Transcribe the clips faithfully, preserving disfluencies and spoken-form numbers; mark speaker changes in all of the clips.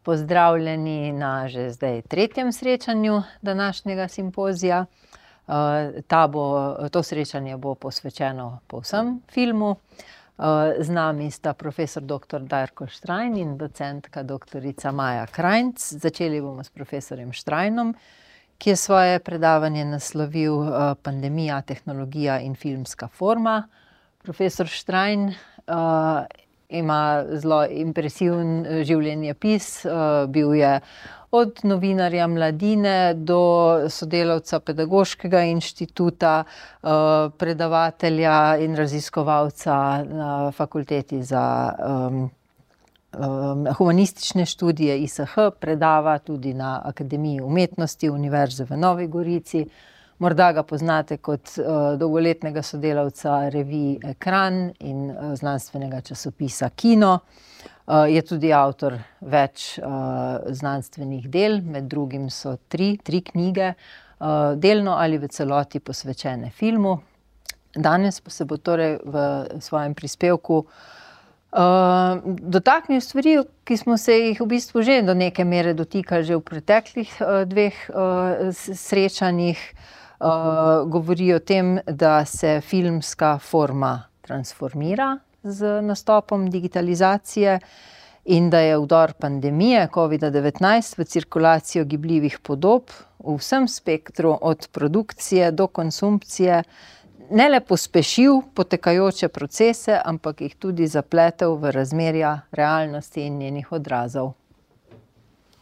Speaker 1: pozdravljeni na že zdaj tretjem srečanju današnjega simpozija. Ta bo, to srečanje bo posvečeno povsem filmu. Z nami sta profesor doktor Darko Štrajn in docentka doktorica Maja Krajnc. Začeli bomo s profesorjem Štrajnom, ki je svoje predavanje naslovil Pandemija, tehnologija in filmska forma. Profesor Štrajn ima zelo impresiven življenjepis, bil je od novinarja Mladine do sodelavca Pedagoškega inštituta, predavatelja in raziskovalca na fakulteti za um, um, humanistične študije I S H, predava tudi na Akademiji umetnosti Univerze v Novi Gorici. Morda ga poznate kot uh, dolgoletnega sodelavca revij Ekran in uh, znanstvenega časopisa Kino. Uh, je tudi avtor več uh, znanstvenih del, med drugim so tri, tri knjige, uh, delno ali v celoti posvečene filmu. Danes pa se bo torej v svojem prispevku uh, dotaknil stvari, ki smo se jih v bistvu že do neke mere dotikali že v preteklih uh, dveh uh, srečanjih. Uh, govori o tem, da se filmska forma transformira z nastopom digitalizacije in da je vdor pandemije covida devetnajst v cirkulacijo gibljivih podob v vsem spektru od produkcije do konsumpcije ne le pospešil potekajoče procese, ampak jih tudi zapletel v razmerja realnosti in njenih odrazov.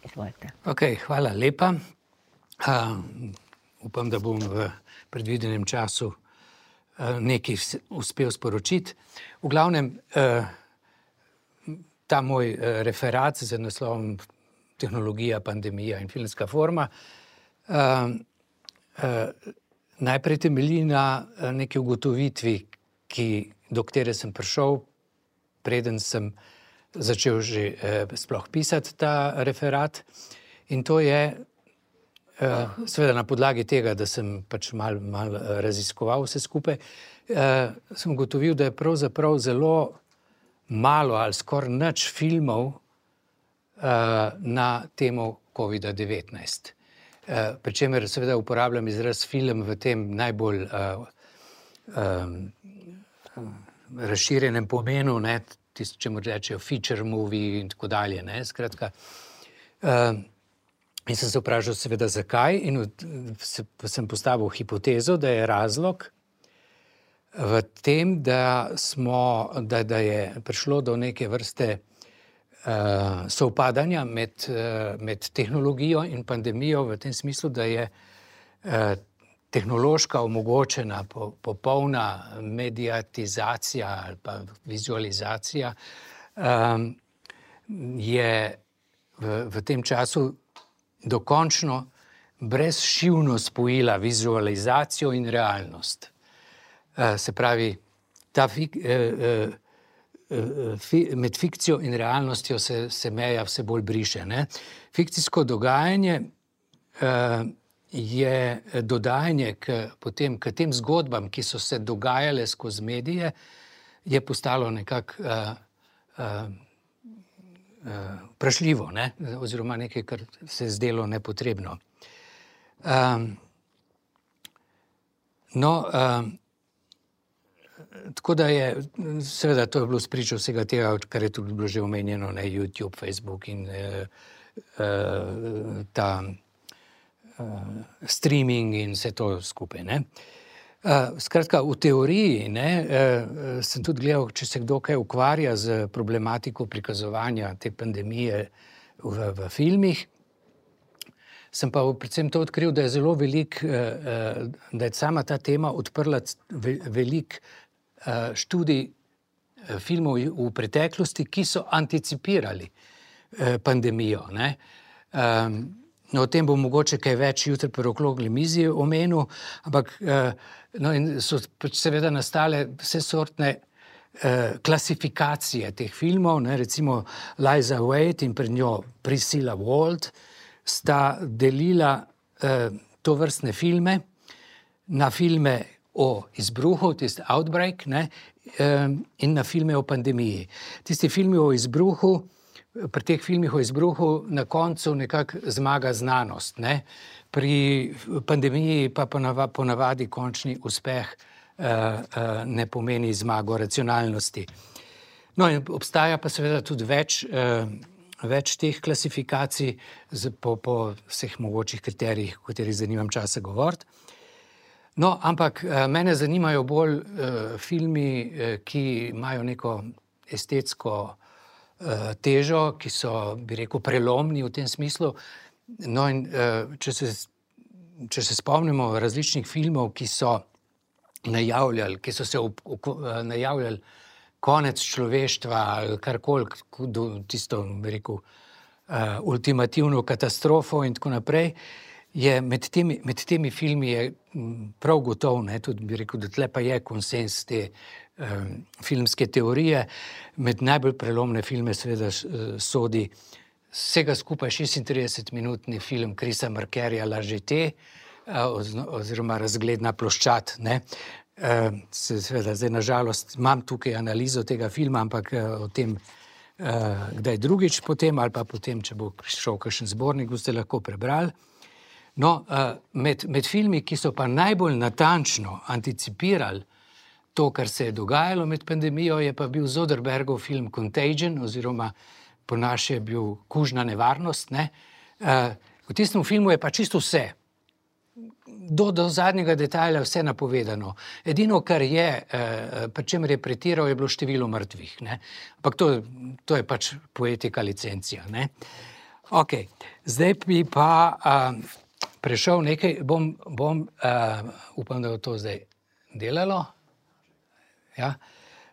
Speaker 1: Izvolite.
Speaker 2: Ok, hvala lepa. Uh, Upam, da bom v predvidenem času nekaj uspel sporočiti. V glavnem, ta moj referat z naslovom Tehnologija, pandemija in filmska forma najprej temelji na neki ugotovitvi, ki, do katere sem prišel, preden sem začel že sploh pisati ta referat. In to je, Uh, seveda na podlagi tega, da sem pač malo mal raziskoval vse skupaj, uh, sem ugotovil, da je pravzaprav zelo malo ali skoraj nič filmov uh, na temo covida devetnajst. Uh, pri čemer seveda uporabljam izraz film v tem najbolj uh, um, razširjenem pomenu, ne, tisto, čemu rečejo feature movie in tako dalje, ne, skratka. Uh, In sem se vprašal seveda zakaj in se, sem postavil hipotezo, da je razlog v tem, da, smo, da, da je prišlo do neke vrste uh, sovpadanja med, uh, med tehnologijo in pandemijo v tem smislu, da je uh, tehnološka omogočena po, popolna mediatizacija ali pa vizualizacija um, je v, v tem času dokončno brezšivno spojila vizualizacijo in realnost. Se pravi, ta fik, med fikcijo in realnostjo se, se meja vse bolj briše. Ne? Fikcijsko dogajanje je dodajanje k, potem, k tem zgodbam, ki so se dogajale skozi medije, je postalo nekako vprašljivo, ne? Oziroma nekaj, kar se je zdelo nepotrebno. Um, no, um, tako da je, seveda to je bilo spričo vsega tega, kar je tudi bilo že omenjeno, ne, YouTube, Facebook in uh, uh, ta uh, streaming in vse to skupaj, ne. Uh, skratka, v teoriji ne, uh, sem tudi gledal, če se kdo kaj ukvarja z problematiko prikazovanja te pandemije v, v filmih. Sem pa predvsem to odkril, da je zelo velik, uh, uh, da je sama ta tema odprla ve, velik uh, študij uh, filmov v preteklosti, ki so anticipirali uh, pandemijo, ne. Um, No, o tem bo mogoče kaj več jutri pri okrogli mizi omenil, ampak no, in so seveda nastale vse sortne eh, klasifikacije teh filmov, ne, recimo Liza Wade in pred njo Priscilla Wald sta delila eh, tovrstne filme na filme o izbruhu, tisti Outbreak, ne, eh, in na filme o pandemiji. Tisti filmi o izbruhu pri teh filmih o izbruhu na koncu nekako zmaga znanost, ne? Pri pandemiji pa ponavadi, ponavadi končni uspeh uh, uh, ne pomeni zmago racionalnosti. No, in obstaja pa seveda tudi več, uh, več teh klasifikacij z, po, po vseh mogočih kriterijih, o katerih zanimam časa govoriti. No, ampak uh, mene zanimajo bolj uh, filmi, uh, ki imajo neko estetsko uh, težo, ki so, bi rekel, prelomni v tem smislu. No, in uh, če se, če se spomnimo različnih filmov, ki so najavljali, ki so se ob, ob, najavljali konec človeštva ali karkoli, tisto, bi rekel, uh, ultimativno katastrofo in tako naprej, je med temi, med temi filmi je prav gotovo, ne, tudi bi rekel, da tle pa je konsens te um, filmske teorije. Med najbolj prelomne filme seveda sodi vsega skupaj šestintridesetminutni film Chrisa Markerja La Jetée, oziroma Razgledna ploščad, ne. Uh, seveda, zdaj nažalost imam tukaj analizo tega filma, ampak uh, o tem uh, kdaj drugič potem, ali pa potem, če bo prišel kakšen zbornik, boste lahko prebrali. No, uh, med, med filmi, ki so pa najbolj natančno anticipirali to, kar se je dogajalo med pandemijo, je pa bil Soderbergov film Contagion, oziroma po naše je bil Kužna nevarnost, ne. Uh, v tistem filmu je pa čisto vse. Do, do zadnjega detajla vse napovedano. Edino, kar je, eh, pri čemer je pretiral, je bilo število mrtvih, ne. Ampak to, to je pač poetika licencija, ne. Ok, zdaj bi pa uh, prešel nekaj, bom, bom uh, upam, da bo to zdaj delalo. Ja.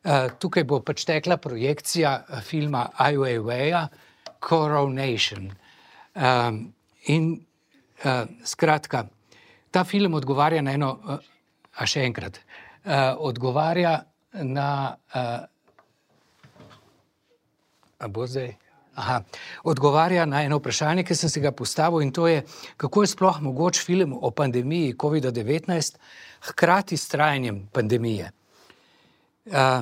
Speaker 2: Uh, tukaj bo pač tekla projekcija filma Ai Weiweia Coronation. Um, in uh, skratka, ta film odgovarja na eno, a še enkrat, uh, odgovarja na, uh, a bo zdaj, aha, odgovarja na eno vprašanje, ki sem se ga postavil, in to je, kako je sploh mogoč film o pandemiji covida devetnajst hkrati s trajanjem pandemije. Uh,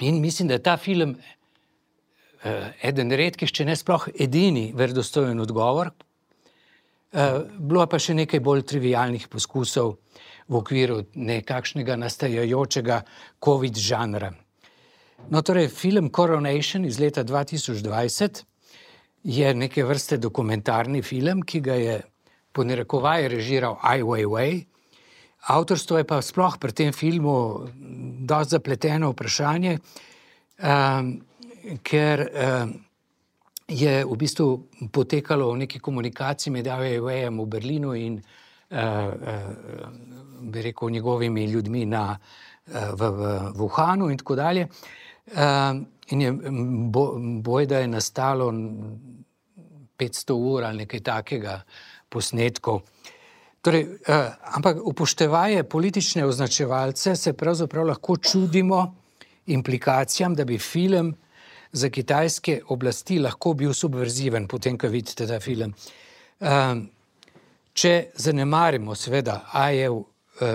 Speaker 2: in mislim, da je ta film uh, eden redkih, če ne sploh edini verodostojen odgovor. Uh, bilo pa še nekaj bolj trivialnih poskusov v okviru nekakšnega nastajajočega COVID žanra. No, torej, film Coronation iz leta dva tisoč dvajset je neke vrste dokumentarni film, ki ga je po narekovaje režiral Ai Weiwei. Avtorstvo je pa sploh pri tem filmu dosti zapleteno vprašanje, um, ker um, je v bistvu potekalo v neki komunikaciji med Ai Weiweijem v Berlinu in uh, uh, bi rekel njegovimi ljudmi na, uh, v, v Wuhanu in tako dalje. Uh, in je bo, bojda je nastalo petsto ur ali nekaj takega posnetkov. Torej, uh, ampak upoštevaje politične označevalce se pravzaprav lahko čudimo implikacijam, da bi film za kitajske oblasti lahko bil subverziven, potem, ko vidite ta film. Um, če zanemarimo seveda Aijev uh,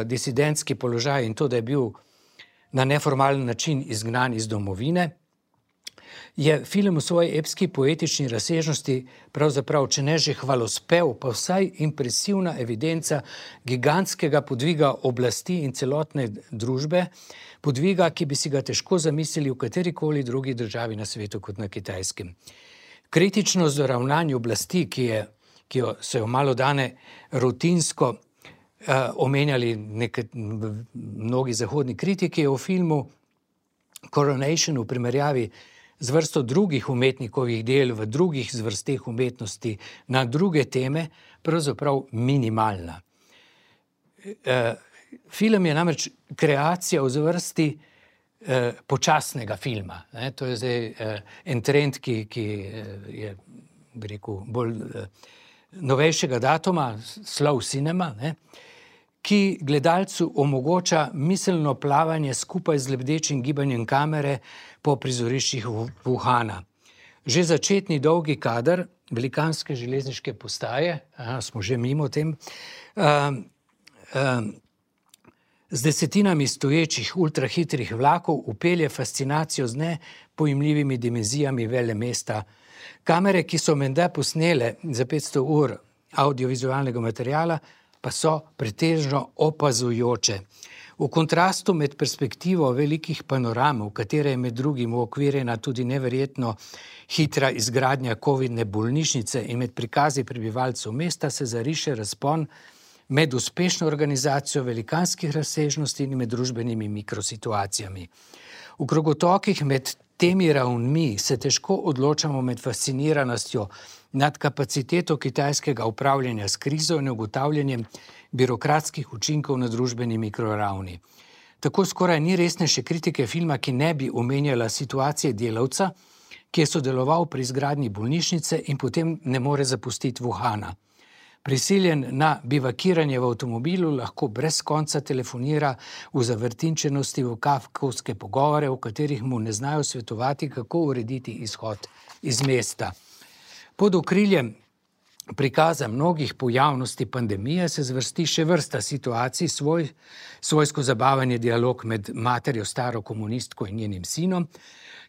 Speaker 2: disidentski položaj in to, da je bil na neformalen način izgnan iz domovine, je film v svoji epski poetični razsežnosti pravzaprav, če ne že hvalospev, pa vsaj impresivna evidenca gigantskega podviga oblasti in celotne družbe, podviga, ki bi si ga težko zamislili v katerikoli drugi državi na svetu kot na Kitajskem. Kritičnost do ravnanja oblasti, ki, je, ki jo, so jo malo dane rutinsko uh, omenjali nekaj, mnogi zahodni kritiki, je v filmu Coronation v primerjavi z vrsto drugih umetnikovih del v drugih zvrsteh umetnosti na druge teme pravzaprav minimalna. Uh, Film je namreč kreacija v zvrsti eh, počasnega filma. Ne? To je zdaj eh, en trend, ki, ki je, bi rekel, bolj eh, novejšega datuma, slow cinema, ne? Ki gledalcu omogoča miselno plavanje skupaj z lebdečim gibanjem kamere po prizoriščih Wuhana. Že začetni dolgi kader velikanske železniške postaje, aha, smo že mimo tem, um, um, z desetinami stoječih ultrahitrih vlakov upelje fascinacijo z nepojmljivimi dimenzijami velemesta Kamere, ki so menda posnele za petsto ur audiovizualnega materiala, pa so pretežno opazujoče. V kontrastu med perspektivo velikih panoram, v katere je med drugim uokvirjena tudi neverjetno hitra izgradnja covidne bolnišnice in med prikazi prebivalcev mesta, se zariše razpon med uspešno organizacijo velikanskih razsežnosti in med družbenimi mikrosituacijami. V krogotokih med temi ravnmi se težko odločamo med fasciniranostjo nad kapaciteto kitajskega upravljanja s krizo in ugotavljanjem birokratskih učinkov na družbeni mikroravni. Tako skoraj ni resnejše kritike filma, ki ne bi omenjala situacije delavca, ki je sodeloval pri izgradnji bolnišnice in potem ne more zapustiti Wuhana. Prisiljen na bivakiranje v avtomobilu, lahko brez konca telefonira v zavrtinčenosti v kafkovske pogovore, v katerih mu ne znajo svetovati, kako urediti izhod iz mesta. Pod okriljem prikaza mnogih pojavnosti pandemije se zvrsti še vrsta situacij, svoj, svojsko zabavanje dialog med materjo staro komunistko in njenim sinom,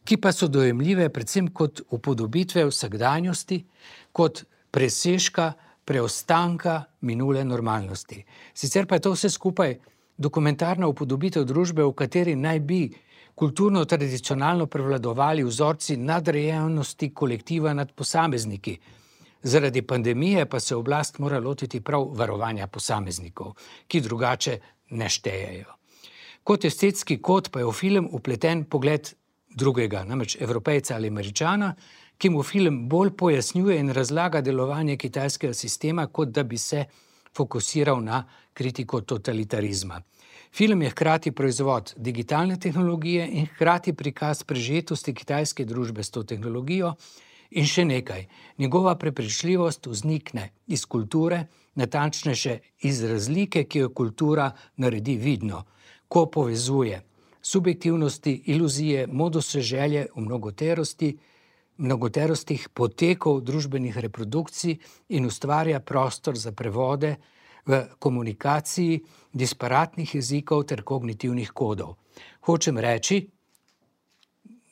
Speaker 2: ki pa so dojemljive predvsem kot upodobitve vsakdanjosti, kot presežka preostanka minule normalnosti. Sicer pa je to vse skupaj dokumentarna upodobitev družbe, v kateri naj bi kulturno tradicionalno prevladovali vzorci nadrejenosti kolektiva nad posamezniki. Zaradi pandemije pa se oblast mora lotiti prav varovanja posameznikov, ki drugače ne štejejo. Kot estetski kod pa je v film upleten pogled drugega, namreč Evropejca ali Američana, ki mu film bolj pojasnjuje in razlaga delovanje kitajskega sistema, kot da bi se fokusiral na kritiko totalitarizma. Film je hkrati proizvod digitalne tehnologije in hkrati prikaz prežetosti kitajske družbe s to tehnologijo in še nekaj. Njegova prepričljivost vznikne iz kulture, natančnejše iz razlike, ki jo kultura naredi vidno, ko povezuje subjektivnosti, iluzije, moduse želje v mnogoterosti, mnogoterostih potekov družbenih reprodukcij in ustvarja prostor za prevode v komunikaciji disparatnih jezikov ter kognitivnih kodov. Hočem reči,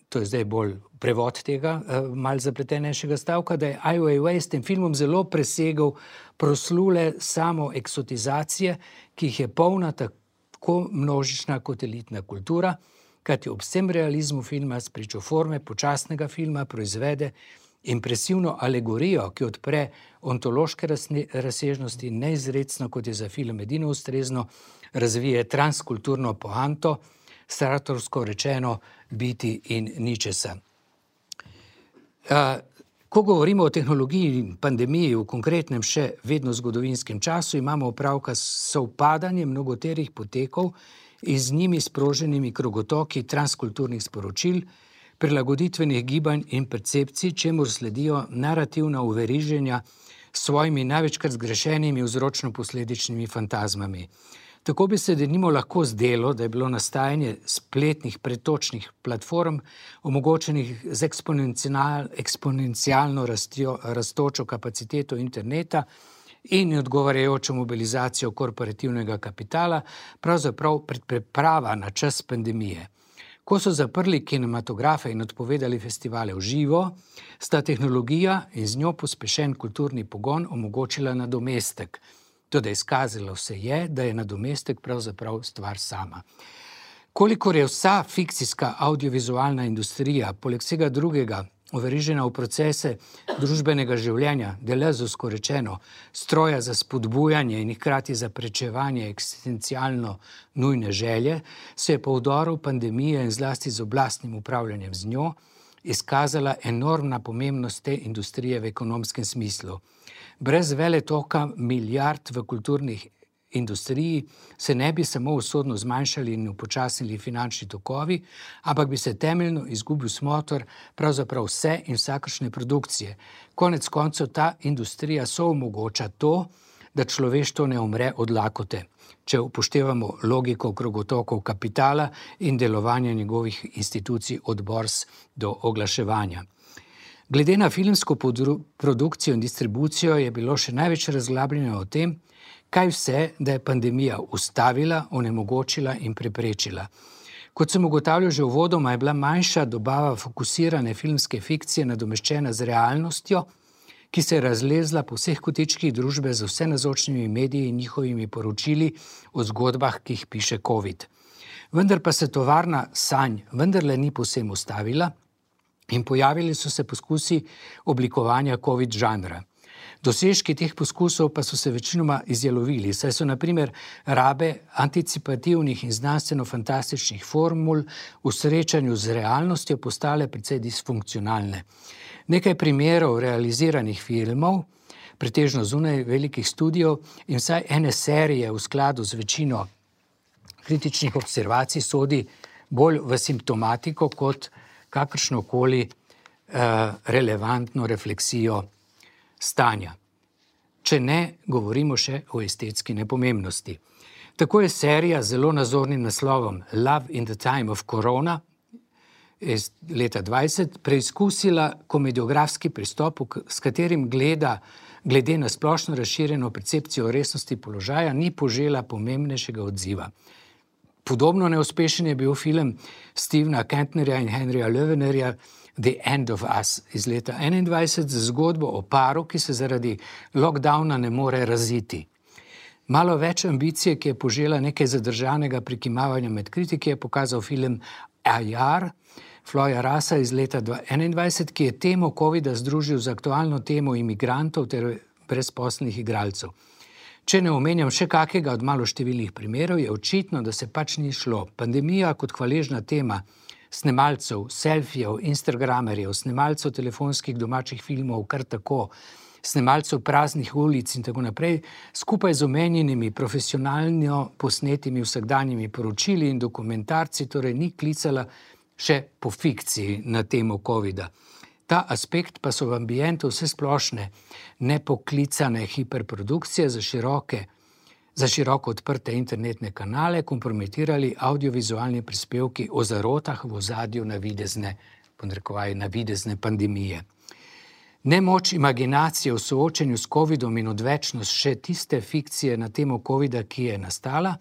Speaker 2: to je zdaj bolj prevod tega malo zapletenejšega stavka, da je Ai Weiwei s tem filmom zelo presegel proslule samo eksotizacije, ki jih je polna tako množična kot elitna kultura, kajti ob vsem realizmu filma spričo forme počasnega filma proizvede impresivno alegorijo, ki odpre ontološke razsežnosti, neizrecno, kot je za film edino ustrezno, razvije transkulturno poanto, Sartorsko rečeno biti in ničesa. Ko govorimo o tehnologiji in pandemiji v konkretnem še vedno zgodovinskem času, imamo opravka s sovpadanjem mnogoterih potekov in z njimi sproženimi krogotoki transkulturnih sporočil, prilagoditvenih gibanj in percepcij, čemur sledijo narativna uveriženja s svojimi največkrat zgrešenimi vzročno-posledičnimi fantazmami. Tako bi se denimo lahko zdelo, da je bilo nastajanje spletnih pretočnih platform, omogočenih z eksponencial, eksponencialno rastjo, rastočo kapaciteto interneta in odgovarjajočo mobilizacijo korporativnega kapitala, pravzaprav predpriprava na čas pandemije. Ko so zaprli kinematografe in odpovedali festivale v živo, sta tehnologija in z njo pospešen kulturni pogon omogočila nadomestek. Toda izkazalo se je, da je nadomestek pravzaprav stvar sama. Kolikor je vsa fikcijska audiovizualna industrija, poleg vsega drugega, overižena v procese družbenega življenja, delezusko rečeno, stroja za spodbujanje in hkrati za prečevanje eksistencialno nujne želje, se je po vdoru pandemije in zlasti z oblastnim upravljanjem z njo izkazala enormna pomembnost te industrije v ekonomskem smislu. Brez veletoka milijard v kulturnih industriji se ne bi samo usodno zmanjšali in upočasnili finančni tokovi, ampak bi se temeljno izgubil smotor pravzaprav vse in vsakršne produkcije. Konec koncev ta industrija soomogoča to, da človeštvo ne umre od lakote, če upoštevamo logiko krogotokov kapitala in delovanja njegovih institucij od borz do oglaševanja. Glede na filmsko produkcijo in distribucijo je bilo še največ razglabljanja o tem, kaj vse, da je pandemija ustavila, onemogočila in preprečila. Kot sem ugotavljal že uvodoma, je bila manjša dobava fokusirane filmske fikcije nadomeščena z realnostjo, ki se je razlezla po vseh kotičkih družbe z vse nazočnimi mediji in njihovimi poročili o zgodbah, ki jih piše COVID. Vendar pa se tovarna sanj vendarle ni povsem ustavila in pojavili so se poskusi oblikovanja COVID žanra. Dosežki teh poskusov pa so se večinoma izjalovili, saj so na primer rabe anticipativnih in znanstveno-fantastičnih formul v srečanju z realnostjo postale precej disfunkcionalne. Nekaj primerov realiziranih filmov, pretežno zunaj velikih studijev in vsaj ene serije v skladu z večino kritičnih observacij sodi bolj v simptomatiko kot kakršnokoli eh, relevantno refleksijo stanja. Če ne, govorimo še o estetski nepomembnosti. Tako je serija z zelo nazornim naslovom Love in the Time of Corona iz leta dvajset preizkusila komediografski pristop, s katerim gleda, glede na splošno razširjeno percepcijo resnosti položaja, ni požela pomembnejšega odziva. Podobno neuspešen je bil film Stevena Kentnerja in Henryja Löwenerja The End of Us iz leta enaindvajset z zgodbo o paru, ki se zaradi lockdowna ne more raziti. Malo več ambicije, ki je požela nekaj zadržanega prikimavanja med kritiki, je pokazal film Ajar Floja Rasa iz leta enaindvajset, ki je temo covida združil z aktualno temo imigrantov ter brezposelnih igralcev. Če ne omenjam še kakega od maloštevilnih primerov, je očitno, da se pač ni šlo. Pandemija kot hvaležna tema snemalcev, selfijev, instagramerjev, snemalcev telefonskih domačih filmov, kar tako, snemalcev praznih ulic in tako naprej, skupaj z omenjenimi profesionalno posnetimi vsakdanjimi poročili in dokumentarci, torej ni klicala še po fikciji na temo covida. Ta aspekt pa so v ambientu vse splošne, nepoklicane hiperprodukcije za široke, za široko odprte internetne kanale kompromitirali audiovizualni prispevki o zarotah v ozadju navidezne, podnarekovaj, navidezne pandemije. Nemoč imaginacije v soočenju s covidom in odvečnost še tiste fikcije na temo covida, ki je nastala,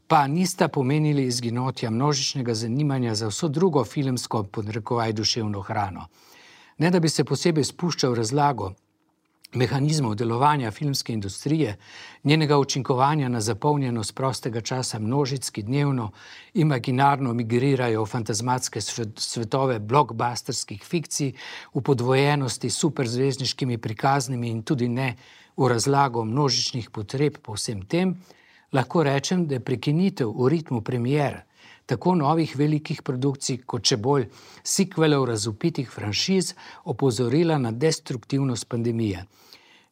Speaker 2: pa nista pomenili izginotja množičnega zanimanja za vso drugo filmsko, podnarekovaj, duševno hrano. Ne da bi se posebej spuščal v razlago mehanizmov delovanja filmske industrije, njenega učinkovanja na zapolnjenost prostega časa množic, ki dnevno imaginarno migrirajo v fantazmatske svetove blockbusterskih fikcij, v podvojenosti s superzvezdniškimi prikaznimi in tudi ne v razlago množičnih potreb po vsem tem, lahko rečem, da je prekinitev v ritmu premier tako novih velikih produkcij, kot še bolj sikvelov razvpitih franšiz opozorila na destruktivnost pandemije.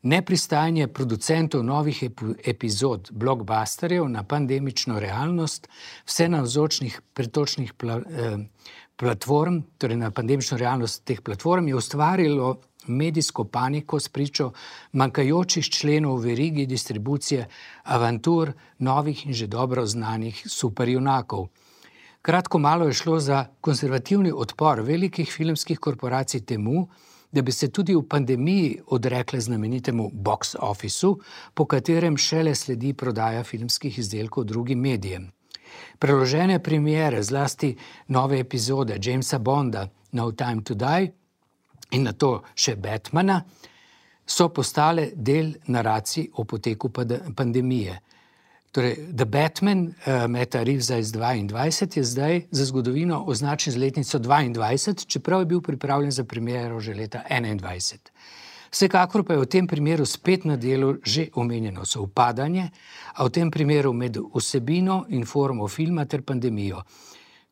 Speaker 2: Nepristajanje producentov novih epizod blockbusterjev na pandemično realnost vse navzočnih pretočnih pla, eh, platform, torej na pandemično realnost teh platform, je ustvarilo medijsko paniko s pričo manjkajočih členov v verigi distribucije avantur novih in že dobro znanih superjunakov. Kratko malo je šlo za konservativni odpor velikih filmskih korporacij temu, da bi se tudi v pandemiji odrekle znamenitemu box officeu, po katerem šele sledi prodaja filmskih izdelkov drugim medijem. Preložene premiere, zlasti nove epizode Jamesa Bonda No Time to Die in nato še Batmana, so postale del naracij o poteku pandemije. Torej, The Batman uh, Meta Reevesa iz dvaindvajset je zdaj za zgodovino označen z letnico dvaindvajset, čeprav je bil pripravljen za premiero že leta enaindvajset. Vsekakor pa je v tem primeru spet na delu že omenjeno sovpadanje, a v tem primeru med vsebino in formo filma ter pandemijo.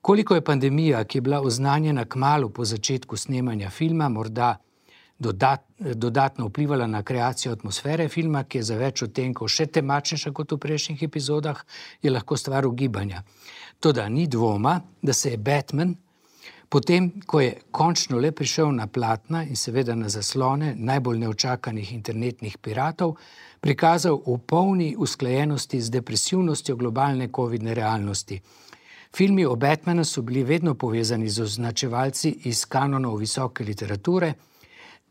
Speaker 2: Koliko je pandemija, ki je bila oznanjena kmalu po začetku snemanja filma, morda dodat, dodatno vplivala na kreacijo atmosfere filma, ki je za več odtenkov še temačnejša kot v prejšnjih epizodah, je lahko stvar ugibanja. Toda ni dvoma, da se je Batman, potem, ko je končno le prišel na platna in seveda na zaslone najbolj neočakanih internetnih piratov, prikazal v polni usklajenosti z depresivnostjo globalne covidne realnosti. Filmi o Batmanu so bili vedno povezani z označevalci iz kanonov visoke literature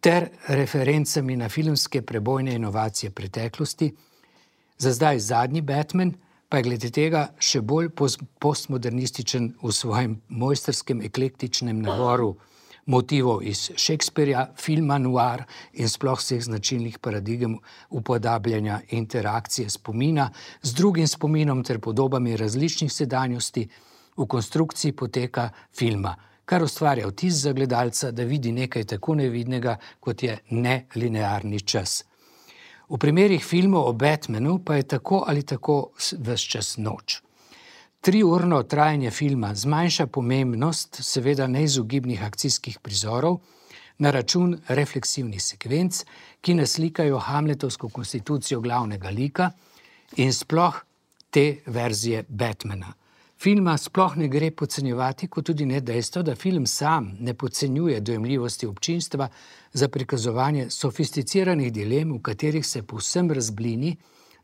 Speaker 2: ter referencami na filmske prebojne inovacije preteklosti. Za zdaj zadnji Batman pa je glede tega še bolj postmodernističen v svojem mojstrskem eklektičnem naboru motivov iz Shakespearea, filma noir in sploh vseh značilnih paradigem upodabljanja interakcije spomina z drugim spominom ter podobami različnih sedanjosti v konstrukciji poteka filma, kar ustvarja vtis za gledalca, da vidi nekaj tako nevidnega, kot je nelinearni čas. V primerih filmov o Batmanu pa je tako ali tako ves čas noč. Triurno trajanje filma zmanjša pomembnost seveda neizogibnih akcijskih prizorov na račun refleksivnih sekvenc, ki naslikajo hamletovsko konstitucijo glavnega lika in sploh te verzije Batmana. Filma sploh ne gre podcenjevati, kot tudi ne dejstvo, da film sam ne podcenjuje dojemljivosti občinstva za prikazovanje sofisticiranih dilem, v katerih se povsem razblini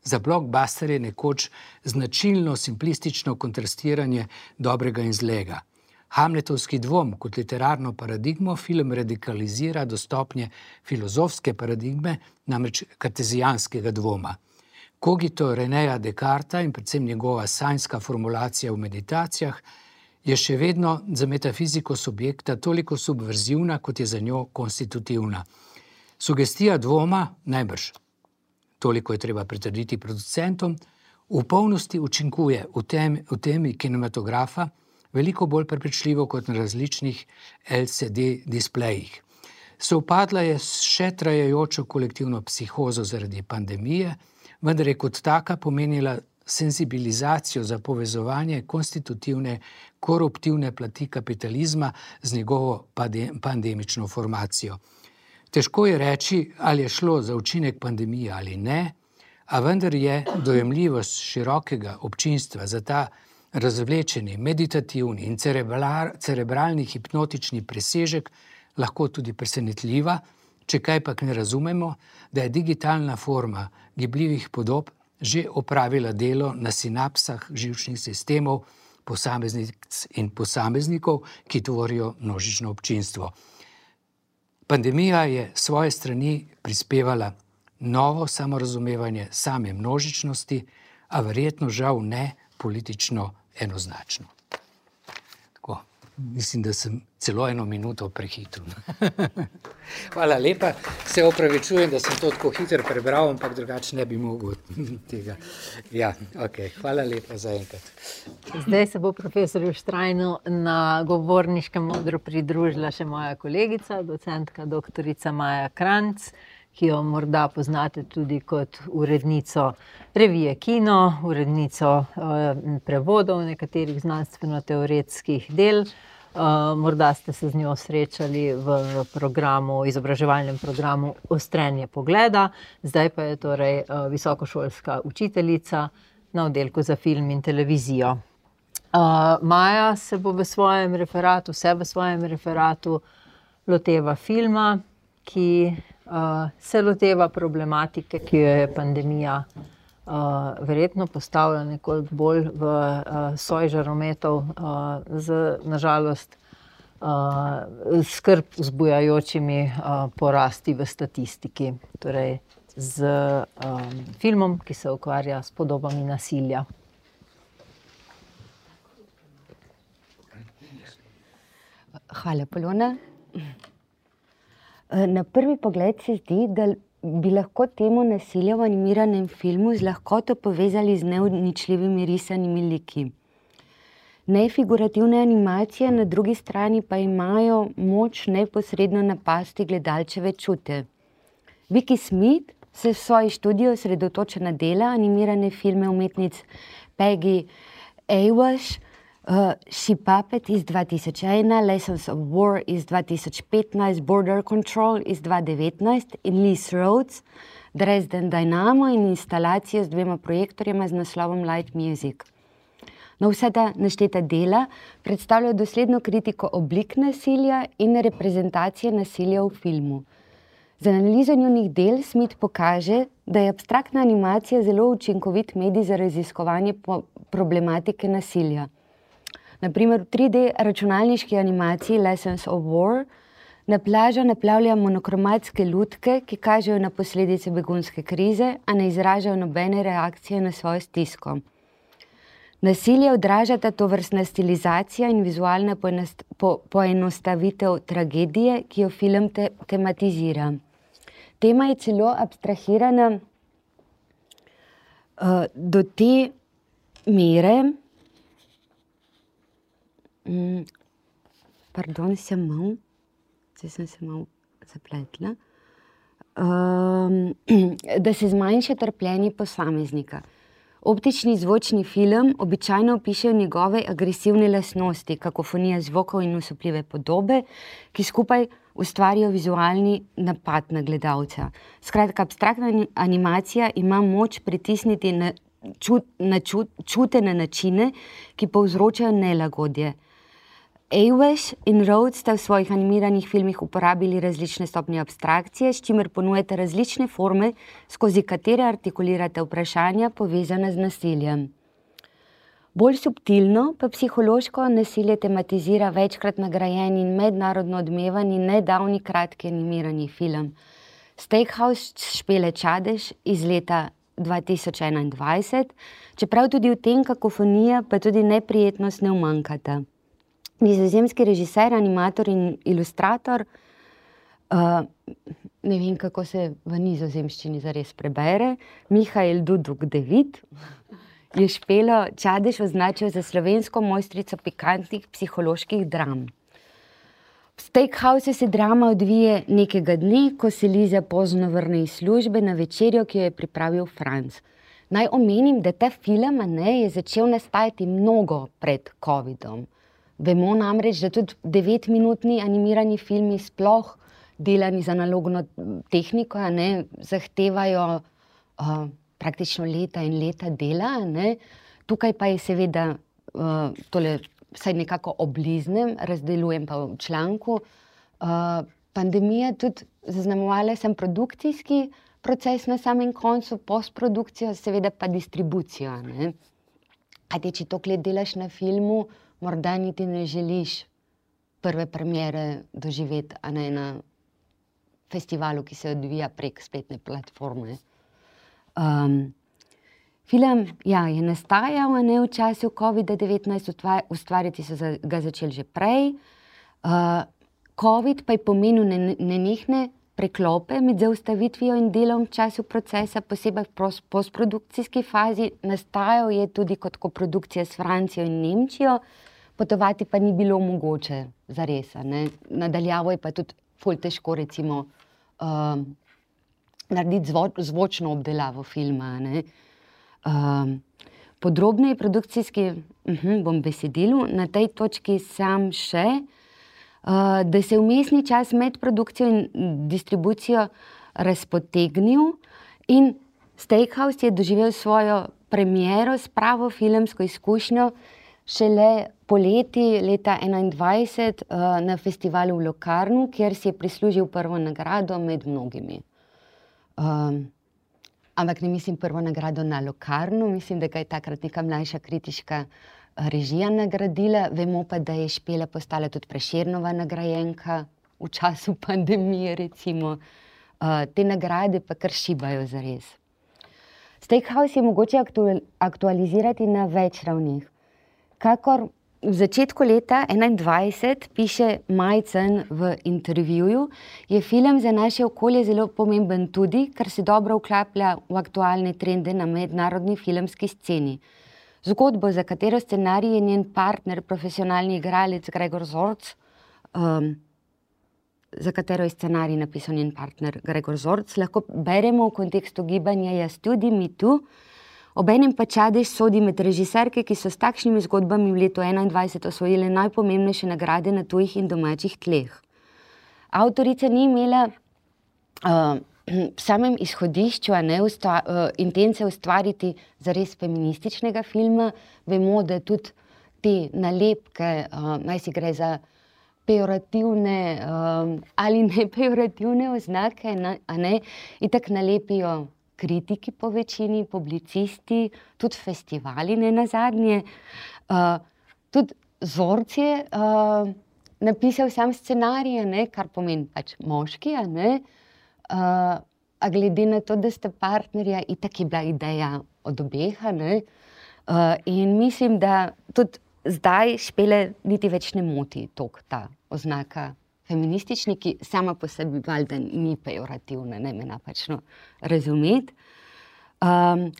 Speaker 2: za blockbusterje nekoč značilno simplistično kontrastiranje dobrega in zlega. Hamletovski dvom kot literarno paradigmo film radikalizira do stopnje filozofske paradigme, namreč kartezijanskega dvoma. Cogito Renéja Descartesa in predvsem njegova sanjska formulacija v meditacijah je še vedno za metafiziko subjekta toliko subverzivna, kot je za njo konstitutivna. Sugestija dvoma, najbrž, toliko je treba pritrditi producentom, v polnosti učinkuje v, tem, v temi kinematografa veliko bolj prepričljivo kot na različnih L C D displejih. Sovpadla je s še trajajočo kolektivno psihozo zaradi pandemije, vendar je kot taka pomenila senzibilizacijo za povezovanje konstitutivne, koruptivne plati kapitalizma z njegovo pandemično formacijo. Težko je reči, ali je šlo za učinek pandemije ali ne, a vendar je dojemljivost širokega občinstva za ta razvlečeni, meditativni in cerebralni hipnotični presežek lahko tudi presenetljiva, če kaj pa ne razumemo, da je digitalna forma gibljivih podob že opravila delo na sinapsah živčnih sistemov posameznic in posameznikov, ki tvorijo množično občinstvo. Pandemija je s svoje strani prispevala novo samorazumevanje same množičnosti, a verjetno žal ne politično enoznačno. Tako, mislim, da sem celo eno minuto prehitel. Hvala lepa, se opravičujem, da sem to tako hitro prebral, ampak drugače ne bi mogel tega. Ja, ok, hvala lepa za enkrat.
Speaker 1: Zdaj se bo profesorju Štrajnu na govorniškem odru pridružila še moja kolegica, docentka doktorica Maja Kranjc, ki jo morda poznate tudi kot urednico revije Kino, urednico eh, prevodov nekaterih znanstveno-teoretskih del. Uh, morda ste se z njo srečali v programu, izobraževalnem programu Ostrenje pogleda, zdaj pa je torej uh, visokošolska učiteljica na oddelku za film in televizijo. Uh, Maja se bo v svojem referatu, vse v svojem referatu loteva filma, ki uh, se loteva problematike, ki jo je pandemija Uh, verjetno postavlja nekoliko bolj v uh, soj žarometov uh, z, nažalost, uh, skrb vzbujajočimi uh, porasti v statistiki. Torej z um, filmom, ki se ukvarja s podobami nasilja.
Speaker 3: Hvala, Polona. Na prvi pogled se zdi, da bi lahko temo nasilja v animiranem filmu z lahkoto povezali z neuničljivimi risanimi liki. Nefigurativne animacije na drugi strani pa imajo moč neposredno napasti gledalčeve čute. Vicky Smith se v svoji študiji osredotoča na dela animirane filme umetnic Peggy Awash, Uh, She Puppet iz dva tisoč ena, Lessons of War iz dva tisoč petnajst, Border Control iz dva tisoč devetnajst in Liz Rhodes, Dresden Dynamo in instalacijo z dvema projektorjema z naslovom Light Music. No, vsa ta našteta dela predstavljajo dosledno kritiko oblik nasilja in reprezentacije nasilja v filmu. Z analizo njunih del Smith pokaže, da je abstraktna animacija zelo učinkovit medij za raziskovanje problematike nasilja. Na primer, v tri D računalniški animaciji Lessons of War na plažo naplavlja monokromatske lutke, ki kažejo na posledice begunske krize, a ne izražajo nobene reakcije na svojo stisko. Nasilje odražata tovrstna stilizacija in vizualna po, poenostavitev tragedije, ki jo film te, tematizira. Tema je celo abstrahirana uh, do te mere, um, pardon, sem mal, zdaj sem se mal zapletla, um, da se zmanjša trpljenje posameznika. Optični zvočni film običajno opišejo njegove agresivne lastnosti, kakofonija zvokov in osupljive podobe, ki skupaj ustvarijo vizualni napad na gledalca. Skratka, abstraktna animacija ima moč pritisniti na, čut, na čut, čutene načine, ki povzročajo nelagodje. Ewesh in Rhodes sta v svojih animiranih filmih uporabili različne stopnje abstrakcije, s čimer ponujate različne forme, skozi katere artikulirate vprašanja povezana z nasiljem. Bolj subtilno pa psihološko nasilje tematizira večkrat nagrajen in mednarodno odmevani nedavni kratki animirani film Steakhouse Špele Čadež iz leta dva tisoč enaindvajset, čeprav tudi v tem kakofonija pa tudi neprijetnost ne umanjkata. Nizozemski režiser, animator in ilustrator, uh, ne vem, kako se v nizozemščini zares prebere, Mihael Duduk David, je Špelo Čadež označil za slovensko mojstrico pikantnih psiholoških dram. V Steakhouse se drama odvije nekega dne, ko se Liza pozno vrne iz službe na večerjo, ki jo je pripravil Franc. Naj omenim, da ta film ne, je začel nastajati mnogo pred covidom. Vemo namreč, da tudi devetminutni animirani filmi sploh delani z analogno tehniko, ne, zahtevajo uh, praktično leta in leta dela. Ne. Tukaj pa je seveda, uh, tole vsaj nekako obliznem, razdelujem pa v članku, uh, pandemija tudi zaznamovala sem produkcijski proces na samem koncu, postprodukcijo, seveda pa distribucijo. Ne. Kajti, če toliko let delaš na filmu, morda niti ne želiš prve premiere doživeti, a ne na festivalu, ki se odvija prek spletne platforme. Um, film ja, je nastajal ne, v času covida devetnajst, ustvariti so ga začeli že prej. Uh, Covid pa je pomenil nenehne preklope med zaustavitvijo in delom v času procesa, posebej v postprodukcijski fazi. Nastajal je tudi kot koprodukcija s Francijo in Nemčijo, potovati pa ni bilo mogoče zares. Nadaljavo je pa tudi ful težko recimo uh, narediti zvo, zvočno obdelavo filma. Ne. Uh, podrobneje produkcijski, uh -huh, bom besedilu, na tej točki sam še, uh, da se vmesni čas med produkcijo in distribucijo razpotegnil in Steakhouse je doživel svojo premiero s pravo filmsko izkušnjo šele poleti leta enaindvajset uh, na festivalu v Locarnu, kjer si je prislužil prvo nagrado med mnogimi. Um, ampak ne mislim prvo nagrado na Locarnu, mislim, da ga je takrat neka mlajša kritiška režija nagradila. Vemo pa, da je Špela postala tudi Prešernova nagrajenka v času pandemije, recimo. Uh, te nagrade pa kar šibajo zares. Steakhouse je mogoče aktual, aktualizirati na več ravnih. Kakor v začetku leta enaindvajset piše Majcen v intervjuju, je film za naše okolje zelo pomemben tudi, ker se dobro vklaplja v aktualne trende na mednarodni filmski sceni. Zgodbo, za katero scenarij je njen partner, profesionalni igralec Gregor Zorc, um, za katero je scenarij napisal njen partner Gregor Zorc, lahko beremo v kontekstu gibanja Jaz tudi, mi tu. Obenem pa Čadež sodi med režiserke, ki so s takšnimi zgodbami v letu enaindvajset osvojile najpomembnejše nagrade na tujih in domačih tleh. Avtorica ni imela uh, v samem izhodišču ne, ustva, uh, intence ustvariti zares feminističnega filma. Vemo, da tudi te nalepke, uh, naj si gre za pejorativne um, ali ne pejorativne oznake, ne, a ne, itak nalepijo kritiki po večini, publicisti, tudi festivali ne nazadnje. Uh, tudi Zorc je uh, napisal sam scenarij, ne, kar pomeni pač moški, a ne. Uh, a glede na to, da sta partnerja, itak je bila ideja od obeha, ne. Uh, in mislim, da tudi zdaj Špele niti več ne moti toliko ta oznaka feministični, ki sama po sebi valjda ni pejorativna, ne me napačno razumeti. Um,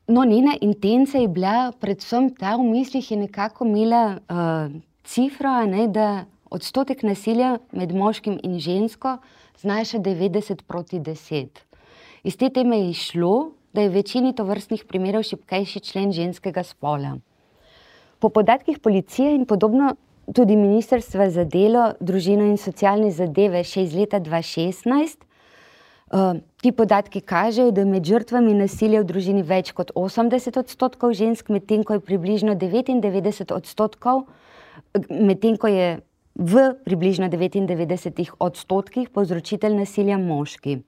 Speaker 3: no, njena intenca je bila predvsem ta, v mislih je nekako imela uh, cifra, ne, da odstotek nasilja med moškim in žensko znaša devetdeset proti deset. Iz te teme je šlo, da je v večini tovrstnih primerov šibkejši člen ženskega spola. Po podatkih policije in podobno tudi Ministrstva za delo, družino in socialne zadeve še iz leta dva šestnajst, uh, ti podatki kažejo, da je med žrtvami nasilja v družini več kot osemdeset odstotkov žensk, medtem ko je približno devetindevetdeset odstotkov, medtem ko je v približno devetindevetdesetih odstotkih povzročitelj nasilja moški.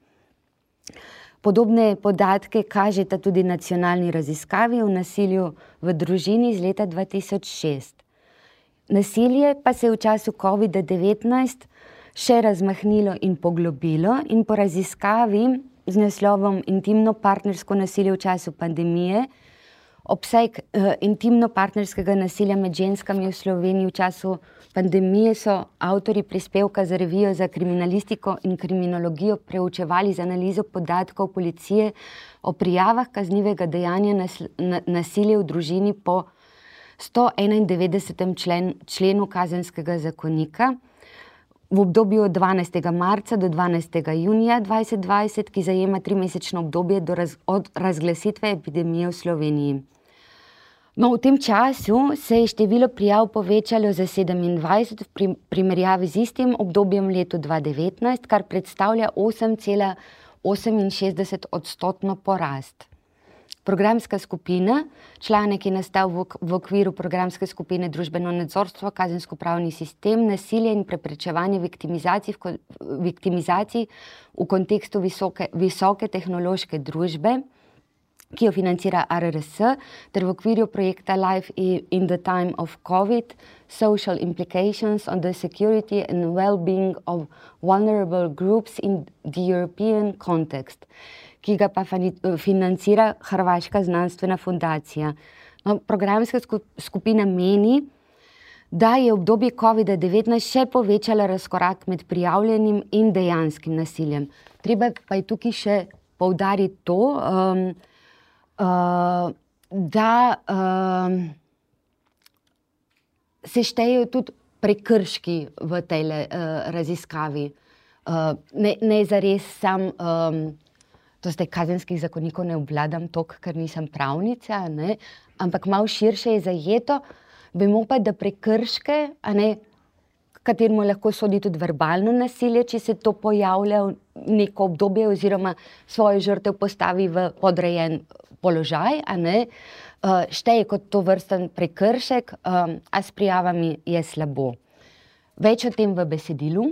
Speaker 3: Podobne podatke kažeta tudi nacionalni raziskavi o nasilju v družini iz leta dva tisoč šest. Nasilje pa se je v času covida devetnajst še razmahnilo in poglobilo in po raziskavi z naslovom Intimno partnersko nasilje v času pandemije, obseg uh, intimno-partnerskega nasilja med ženskami v Sloveniji v času pandemije so avtorji prispevka za revijo za kriminalistiko in kriminologijo preučevali z analizo podatkov policije o prijavah kaznivega dejanja nas, na, nasilja v družini po sto enaindevetdesetem člen, členu Kazenskega zakonika v obdobju od dvanajstega marca do dvanajstega junija dvajset dvajset, ki zajema trimesečno obdobje do raz, od razglasitve epidemije v Sloveniji. No, v tem času se je število prijav povečalo za sedemindvajset v primerjavi z istim obdobjem letu dva devetnajst, kar predstavlja osem cela oseminšestdeset odstotno porast. Programska skupina, članek je nastal v, v okviru programske skupine Družbeno nadzorstvo, kazensko-pravni sistem, nasilje in preprečevanje viktimizacij v, viktimizacij v kontekstu visoke, visoke tehnološke družbe, ki jo financira R R S, ter v okviru projekta Life in the Time of COVID, Social Implications on the Security and Well-being of Vulnerable Groups in the European Context, ki ga pa financira Hrvaška znanstvena fundacija. No, programska skupina meni, da je obdobje covida devetnajst še povečala razkorak med prijavljenim in dejanskim nasiljem. Treba pa je tukaj še poudariti to, um, Uh, da uh, se štejejo tudi prekrški v tej uh, raziskavi. Uh, ne, ne zares sam, um, to zdaj kazenskih zakonikov ne obvladam toliko, ker nisem pravnica, ne? Ampak malo širše je zajeto, vemo pa, da prekrške, a ne, kateremu lahko sodi tudi verbalno nasilje, če se to pojavlja v neko obdobje oziroma svojo žrtev postavi v podrejen položaj, a ne, šteje kot to vrsten prekršek, a s prijavami je slabo. Več o tem v besedilu.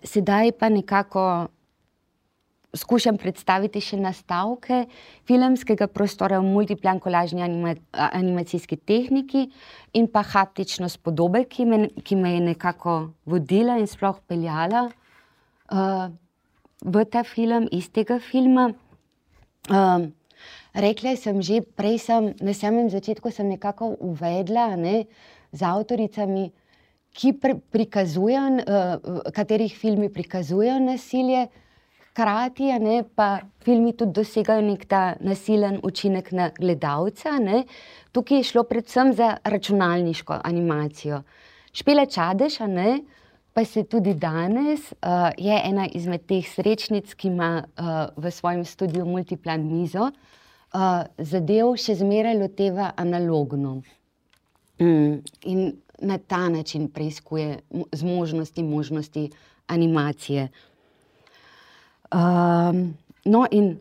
Speaker 3: Sedaj pa nekako skušam predstaviti še nastavke filmskega prostora v multiplan kolažni anima, animacijski tehniki in pa haptično spodobe, ki me, ki me je nekako vodila in sploh peljala uh, v ta film, iz tega filma. Uh, rekla sem že, prej sem, na samem začetku sem nekako uvedla, ne, z avtoricami, ki pri, prikazujejo, uh, katerih filmi prikazujejo nasilje, hkrati, ne, pa filmi tudi dosegajo nek ta nasilen učinek na gledalca, ne. Tukaj je šlo predvsem za računalniško animacijo. Špela Čadež, ne, pa se tudi danes uh, je ena izmed teh srečnic, ki ima uh, v svojem studiu multiplan mizo, uh, zadev še zmeraj loteva analogno. Mm. In na ta način preiskuje zmožnosti, možnosti animacije. Um, no, in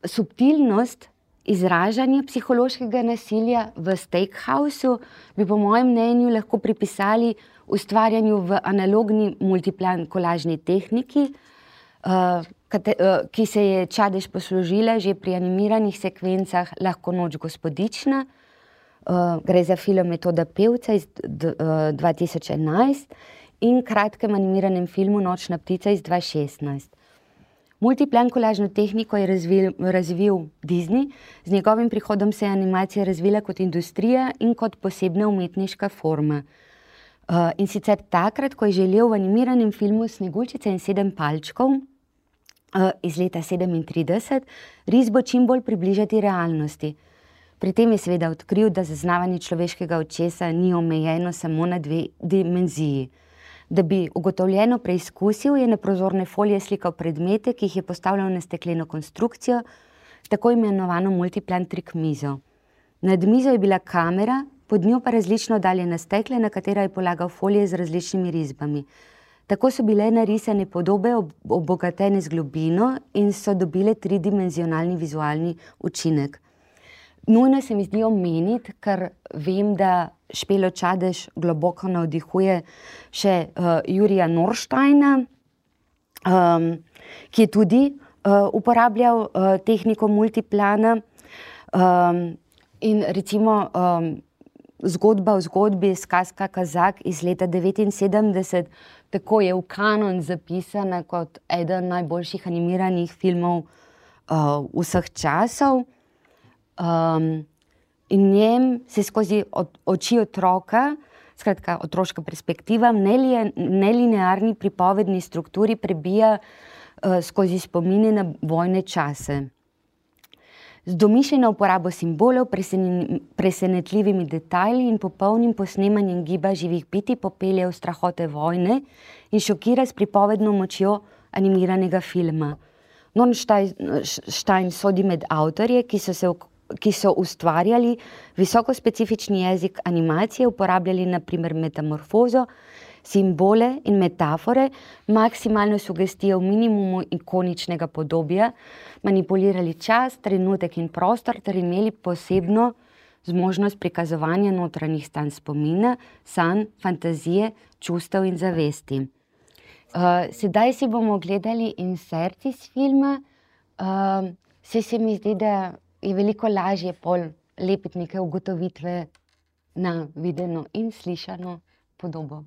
Speaker 3: subtilnost izražanja psihološkega nasilja v Steakhouseu bi po mojem mnenju lahko pripisali ustvarjanju v analogni multiplan kolažni tehniki, uh, kate, uh, ki se je Čadež poslužila že pri animiranih sekvencah Lahko noč gospodična, uh, gre za film Metoda pevca iz uh, dva tisoč enajst in kratkem animiranem filmu Nočna ptica iz dva tisoč šestnajst. Multiplan kolažno tehniko je razvil, razvil Disney, z njegovim prihodom se je animacija razvila kot industrija in kot posebna umetniška forma. Uh, in sicer takrat, ko je želel v animiranem filmu Sneguljčica in sedem palčkov uh, iz leta sedemintrideset risbo čim bolj približati realnosti. Pri tem je seveda odkril, da zaznavanje človeškega očesa ni omejeno samo na dve dimenziji. Da bi ugotovljeno preizkusil, je na prozorne folije slikal predmete, ki jih je postavljal na stekleno konstrukcijo, tako imenovano multiplan trik mizo. Nad mizo je bila kamera, pod njo pa različno oddaljena stekla, na katera je polagal folije z različnimi risbami. Tako so bile narisane podobe obogatene z globino in so dobile tridimenzionalni vizualni učinek. Nujno se mi zdi omeniti, ker vem, da Špelo Čadež globoko navdihuje še uh, Jurija Norsteina, um, ki je tudi uh, uporabljal uh, tehniko multiplana. Um, in recimo um, zgodba v zgodbi Сказка Казак iz leta devetinsedemdeset, tako je v kanon zapisana kot eden najboljših animiranih filmov uh, vseh časov. Um, in njem se skozi od, oči otroka, skratka otroška perspektiva, v nelinearni pripovedni strukturi prebija uh, skozi spomine na vojne čase. Z domišljeno uporabo simbolov, presen, presenetljivimi detajli in popolnim posnemanjem giba živih bitij popelje v strahote vojne in šokira s pripovedno močjo animiranega filma. Norstein sodi med avtorje, ki so se ki so ustvarjali visoko specifični jezik animacije, uporabljali na primer metamorfozo, simbole in metafore, maksimalno sugestijo v minimumu ikoničnega podobja, manipulirali čas, trenutek in prostor ter imeli posebno zmožnost prikazovanja notranjih stanj spomina, sanj, fantazije, čustev in zavesti. Uh, sedaj si bomo gledali insert iz filma. Uh, se se mi zdi, da je veliko lažje pol lepiti neke ugotovitve na videno in slišano podobo.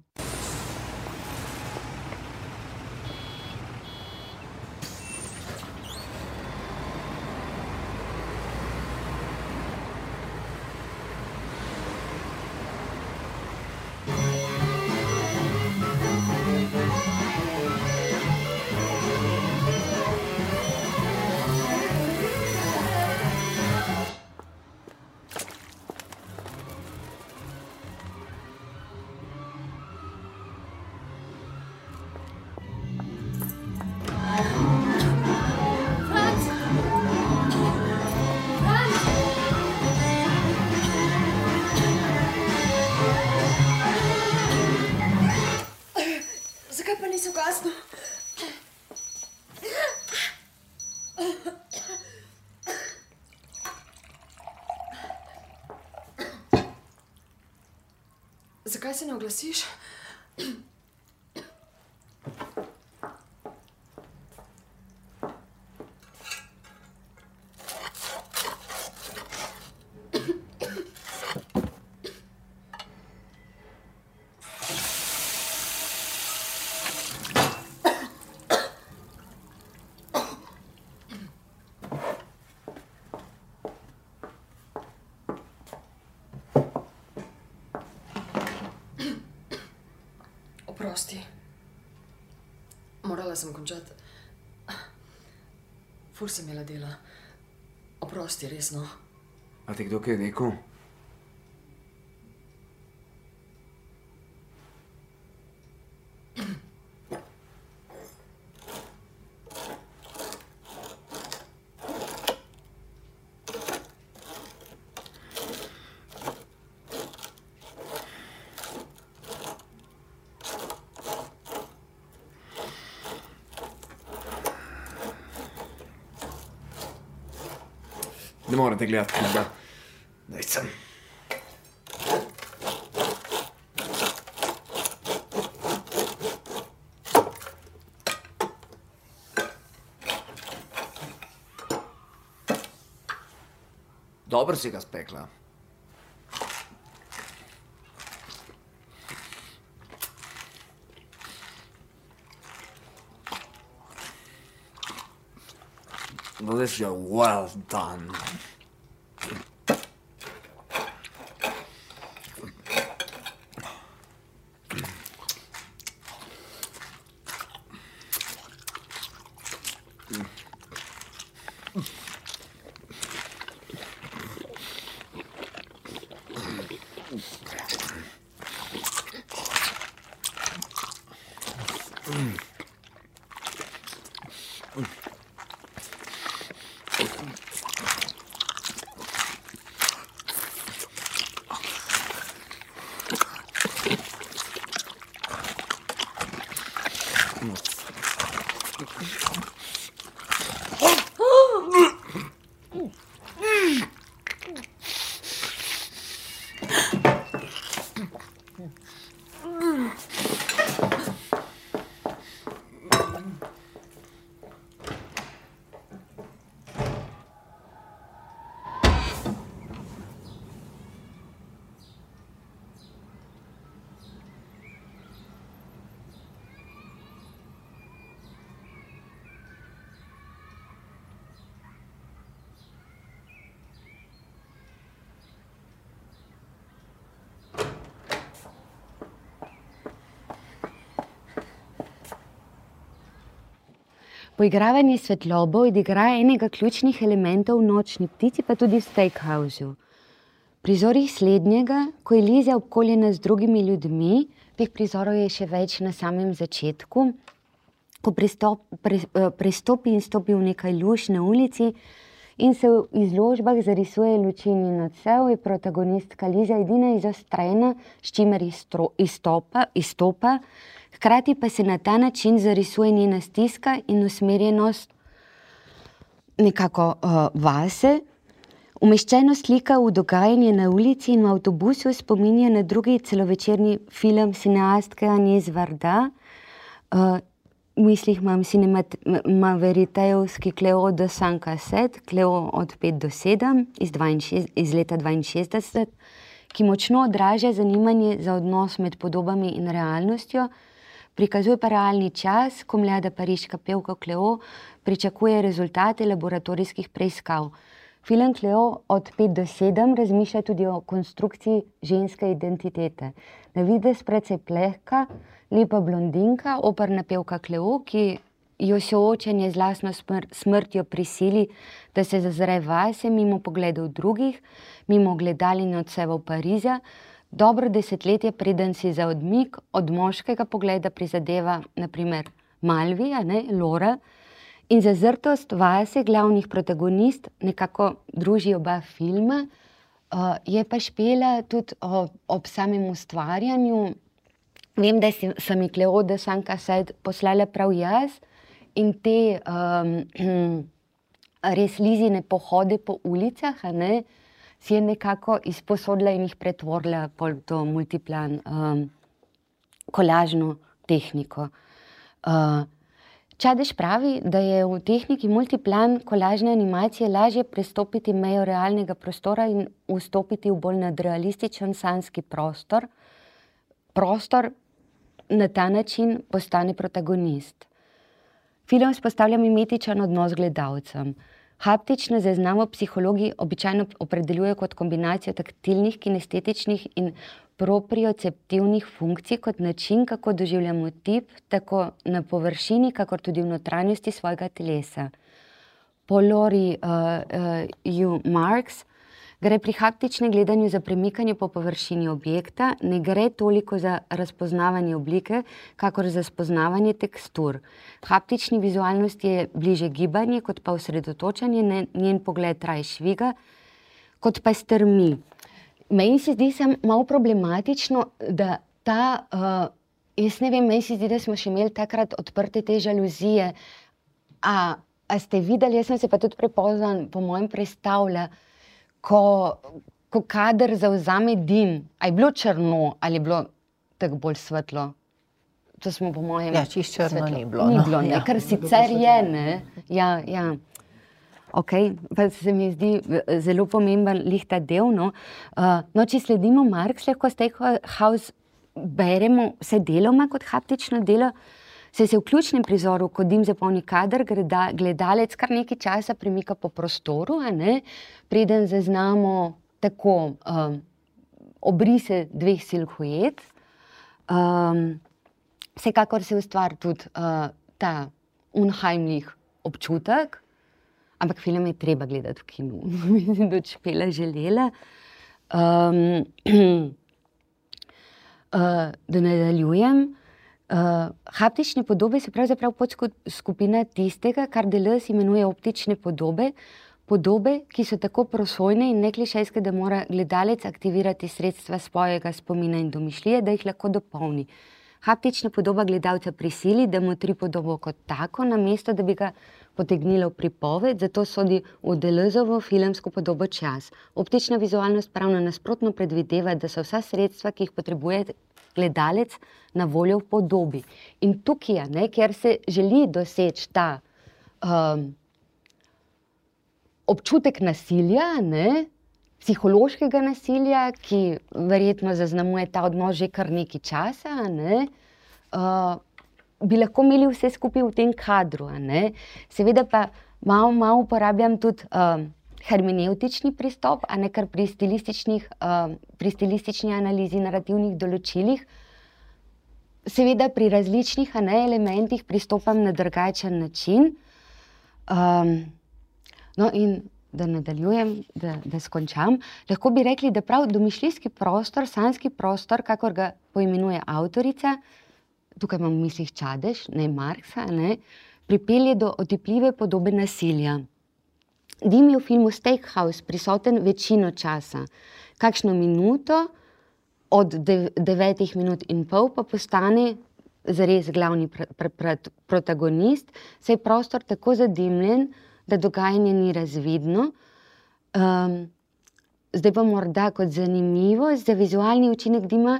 Speaker 4: Zakaj se ne oglasiš? Oprosti. Morala sem končati. Ful sem imela dela. Oprosti, resno.
Speaker 5: A ti kdo kaj rekel? Ne morate gledati knjiga. Daj sem. Dobro si ga spekla. Delicious, well done.
Speaker 3: Poigravanje svetlobo odigra enega ključnih elementov v Nočni ptici, pa tudi v Steakhousu. Prizorih slednjega, ko je Lizja obkoljena z drugimi ljudmi, teh prizorov je še več na samem začetku, ko pristop, pre, prestopi in stopi v nekaj luč na ulici in se v izložbah zarisuje luči in odsev, je protagonistka Lizja edina izostrena, s čimer izstro, izstopa, izstopa, hkrati pa se na ta način zarisuje njena stiska in usmerjenost nekako uh, vase. Umeščeno slika v dogajanje na ulici in v avtobusu spominja na drugi celovečerni film cineastke Agnès Varda. Uh, v mislih imam Cinema Veritejevski Cleo de Saint Cassette, Cleo od pet do sedem iz, iz leta dvainšestdeset, ki močno odraža zanimanje za odnos med podobami in realnostjo, prikazuje pa realni čas, ko mlada pariška pevka Cleo pričakuje rezultate laboratorijskih preiskav. Film Cleo od pet do sedem razmišlja tudi o konstrukciji ženske identitete. Na videz precej plehka, lepa blondinka, operna pevka Cleo, ki jo soočenje z lastno smr smrtjo prisili, da se zazre vase mimo pogledov drugih, mimo gledal in odsevov Pariza, dobro desetletje preden si za odmik od moškega pogleda prizadeva naprimer Malvija, ne, Laura, in zazrtost vase glavnih protagonist nekako druži oba filma. Uh, je pa Špela tudi ob, ob samem ustvarjanju. Vem, da si, sem mi Cleo de Saint Cassette poslala prav jaz in te um, res Lizine pohode po ulicah, a ne, si je nekako izposodila in jih pretvorila pol to multiplan um, kolažno tehniko. Uh, Čadež pravi, da je v tehniki multiplan kolažne animacije lažje prestopiti mejo realnega prostora in vstopiti v bolj nadrealističen sanski prostor. Prostor na ta način postane protagonist. Film vzpostavlja mimetičen odnos z gledalcem. Haptično zaznavo psihologi običajno opredeljujejo kot kombinacijo taktilnih, kinestetičnih in proprioceptivnih funkcij kot način, kako doživljamo tip, tako na površini, kakor tudi v notranjosti svojega telesa. Po Lori uh, uh, U. Marks gre pri haptičnem gledanju za premikanje po površini objekta, ne gre toliko za razpoznavanje oblike, kakor za spoznavanje tekstur. Haptični vizualnosti je bliže gibanje, kot pa osredotočanje, njen pogled traje šviga, kot pa strmi. Meni se zdi sem malo problematično, da ta, uh, jaz ne vem, meni se zdi, da smo še imeli takrat odprte te žaluzije. A, a ste videli, jaz sem se pa tudi prepoznan, po mojem predstavlja, ko, ko kader zavzame dim, a je bilo črno ali je bilo tako bolj svetlo? To smo po mojem...
Speaker 1: Ja, čisto črno
Speaker 3: svetlo.
Speaker 1: ni bilo.
Speaker 3: Ni
Speaker 1: no.
Speaker 3: bilo, ne,
Speaker 1: Ja.
Speaker 3: kar sicer je, ne. Ja, ja. Ok, pa se mi zdi zelo pomemben lih ta del, no. Uh, no, če sledimo Marx, lahko Steakhouse beremo vse deloma kot haptično delo, se se v ključnem prizoru, ko dim zapolni kader, gledalec kar nekaj časa premika po prostoru, a ne, preden zaznamo tako um, obrise dveh silhuet. Um, vsekakor se ustvari tudi uh, ta unheimlich občutek, ampak film je treba gledati v kinu. Mislim, da če Špela želela. Um, uh, da nadaljujem. Uh, haptične podobe se pravzaprav podskupina tistega, kar Deleuze imenuje optične podobe, podobe, ki so tako prosojne in neklišejske, da mora gledalec aktivirati sredstva svojega spomina in domišljije, da jih lahko dopolni. Haptična podoba gledalca prisili, da motri podobo kot tako, namesto da bi ga potegnila v pripoved, zato sodi v Deleuzovo filmsko podobo čas. Optična vizualnost pravno nasprotno predvideva, da so vsa sredstva, ki jih potrebuje gledalec, na voljo v podobi. In tukaj, ne, kjer se želi doseči ta um, občutek nasilja, ne, psihološkega nasilja, ki verjetno zaznamuje ta odnos že kar nekaj časa, ne, uh, bi lahko imeli vse skupaj v tem kadru. Ne. Seveda pa malo, malo uporabljam tudi uh, hermeneutični pristop, a ne kar pri stilističnih, uh, pri stilistični analizi narativnih določilih. Seveda pri različnih, a ne, elementih pristopam na drugačen način. Um, no in da nadaljujem, da, da skončam, lahko bi rekli, da prav domišljijski prostor, sanjski prostor, kakor ga poimenuje avtorica, tukaj imam v mislih Čadež, ne Marksa, ne, pripelje do otipljive podobe nasilja. Dim je v filmu Steakhouse prisoten večino časa. Kakšno minuto, od devetih minut in pol, pa postane zares glavni pr pr pr protagonist, saj je prostor tako zadimljen, da dogajanje ni razvidno. Um, zdaj pa morda kot zanimivost, za vizualni učinek dima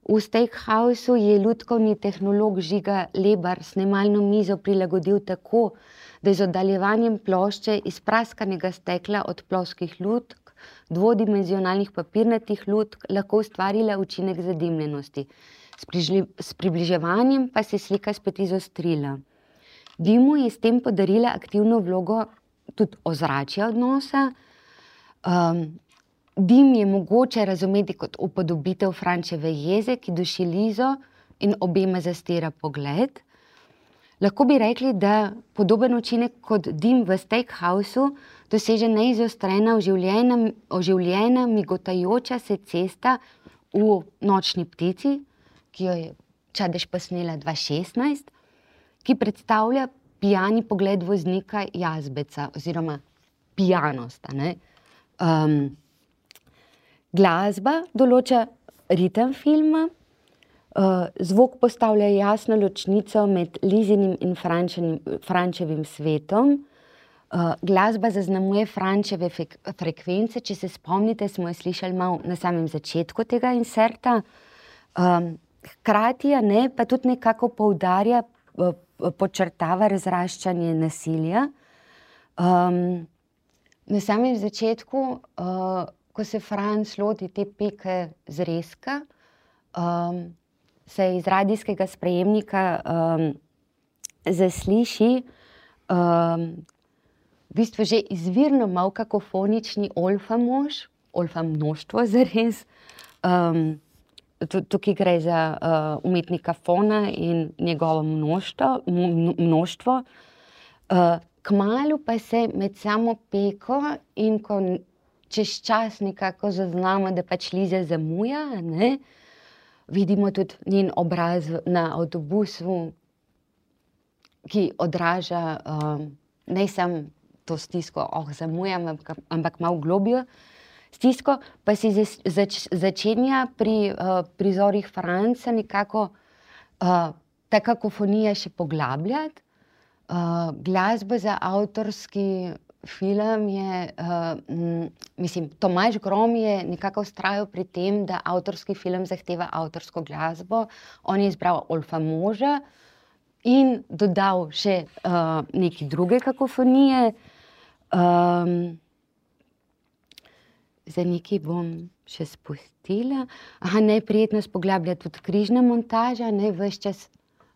Speaker 3: v Steakhouseu je lutkovni tehnolog Žiga Lebar snemalno mizo prilagodil tako, da je z oddaljevanjem plošče iz praskanega stekla od ploskih lutk, dvodimenzionalnih papirnatih lutk lahko ustvarila učinek zadimljenosti. S, s približevanjem pa se slika spet izostrila. Dimu je s tem podarila aktivno vlogo tudi ozračja odnosa. Um, dim je mogoče razumeti kot upodobitev Frančeve jeze, ki duši Lizo in obema zastira pogled. Lahko bi rekli, da podoben učinek kot dim v Steakhouseu doseže neizostrena, oživljena, oživljena, migotajoča se cesta v Nočni ptici, ki jo je Čadež posnela dva tisoč šestnajst, ki predstavlja pijani pogled voznika Jazbeca oziroma pijanost. Ne? Um, glasba določa ritem filma, uh, zvok postavlja jasno ločnico med Lizinim in Frančevim svetom. Uh, glasba zaznamuje Frančeve frekvence, če se spomnite, smo jo slišali malo na samem začetku tega inserta. Um, hkrati, ne, pa tudi nekako poudarja, uh, podčrtava razraščanje nasilja. Um, na samem začetku, uh, ko se Franc loti te peke zrezka, um, se iz radijskega sprejemnika um, zasliši um, v bistvu že izvirno malo kakofonični olfa mož, olfa množstvo zares. Um, Tukaj gre za uh, umetnika Fona in njegovo množstvo. množstvo. Uh, kmalu pa se med samo peko in ko čez čas nekako zaznamo, da pač Liza zamuja, ne, vidimo tudi njen obraz na avtobusu, ki odraža uh, ne samo to stisko, oh, zamujam, ampak, ampak malo globljo stisko, pa se zač, začenja pri uh, prizorih Franca nekako uh, ta kakofonija še poglabljati. Uh, glasba za avtorski film je, uh, m, mislim, Tomaž Grom je nekako vztrajal pri tem, da avtorski film zahteva avtorsko glasbo. On je izbral Olfa moža in dodal še uh, neke druge kakofonije. Um, Zdaj nekaj bom še spustila. Aha, neprijetnost poglablja tudi križna montaža, ne, ves čas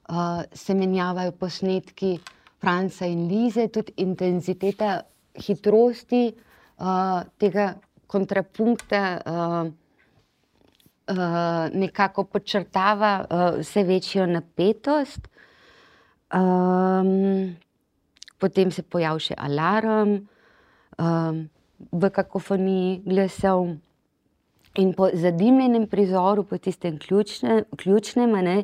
Speaker 3: uh, se menjavajo posnetki Franca in Lize, tudi intenziteta hitrosti uh, tega kontrapunkta uh, uh, nekako podčrtava uh, vse večjo napetost. Um, potem se pojavi še alarm um, v kakofoniji glasov. In po zadimljenem prizoru, po tistem ključne, ključnem, ne,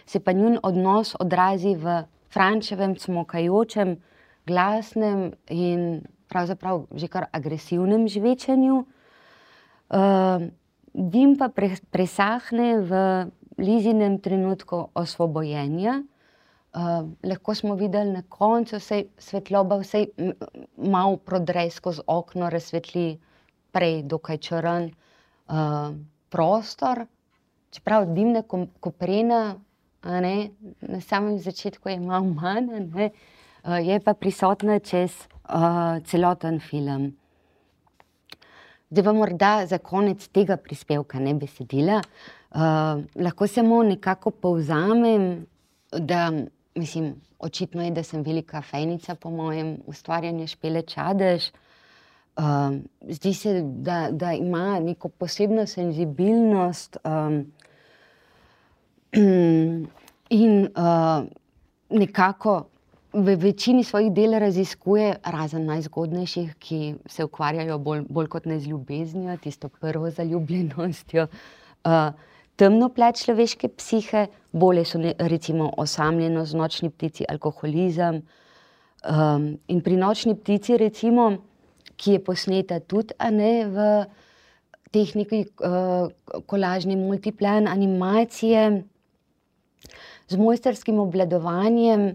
Speaker 3: se pa njun odnos odrazi v Frančevem cmokajočem, glasnem in pravzaprav že kar agresivnem žvečenju. Uh, dim pa pre, presahne v Lizinem trenutku osvobojenja. Uh, lahko smo videli na koncu, vsej svetloba vsej malo prodre skozi okno, razsvetli prej dokaj črn uh, prostor. Čeprav dimna koprena, a ne, na samem začetku je malo manj, ne, uh, je pa prisotna čez uh, celoten film. Zdaj pa morda za konec tega prispevka, ne besedila, uh, lahko samo nekako povzamem, da mislim, očitno je, da sem velika fejnica po mojem ustvarjanju Špele Čadež. Um, zdi se, da, da ima neko posebno senzibilnost um, in uh, nekako v večini svojih del raziskuje, razen najzgodnejših, ki se ukvarjajo bolj, bolj kot ne z ljubeznijo, tisto prvo zaljubljenostjo, uh, temno plat človeške psihe, bolje so ne, recimo osamljenost, Nočni ptici, alkoholizem. Um, in pri Nočni ptici, recimo, ki je posneta tudi, a ne, v tehniki uh, kolažne multiplan animacije, z mojstrskim obvladovanjem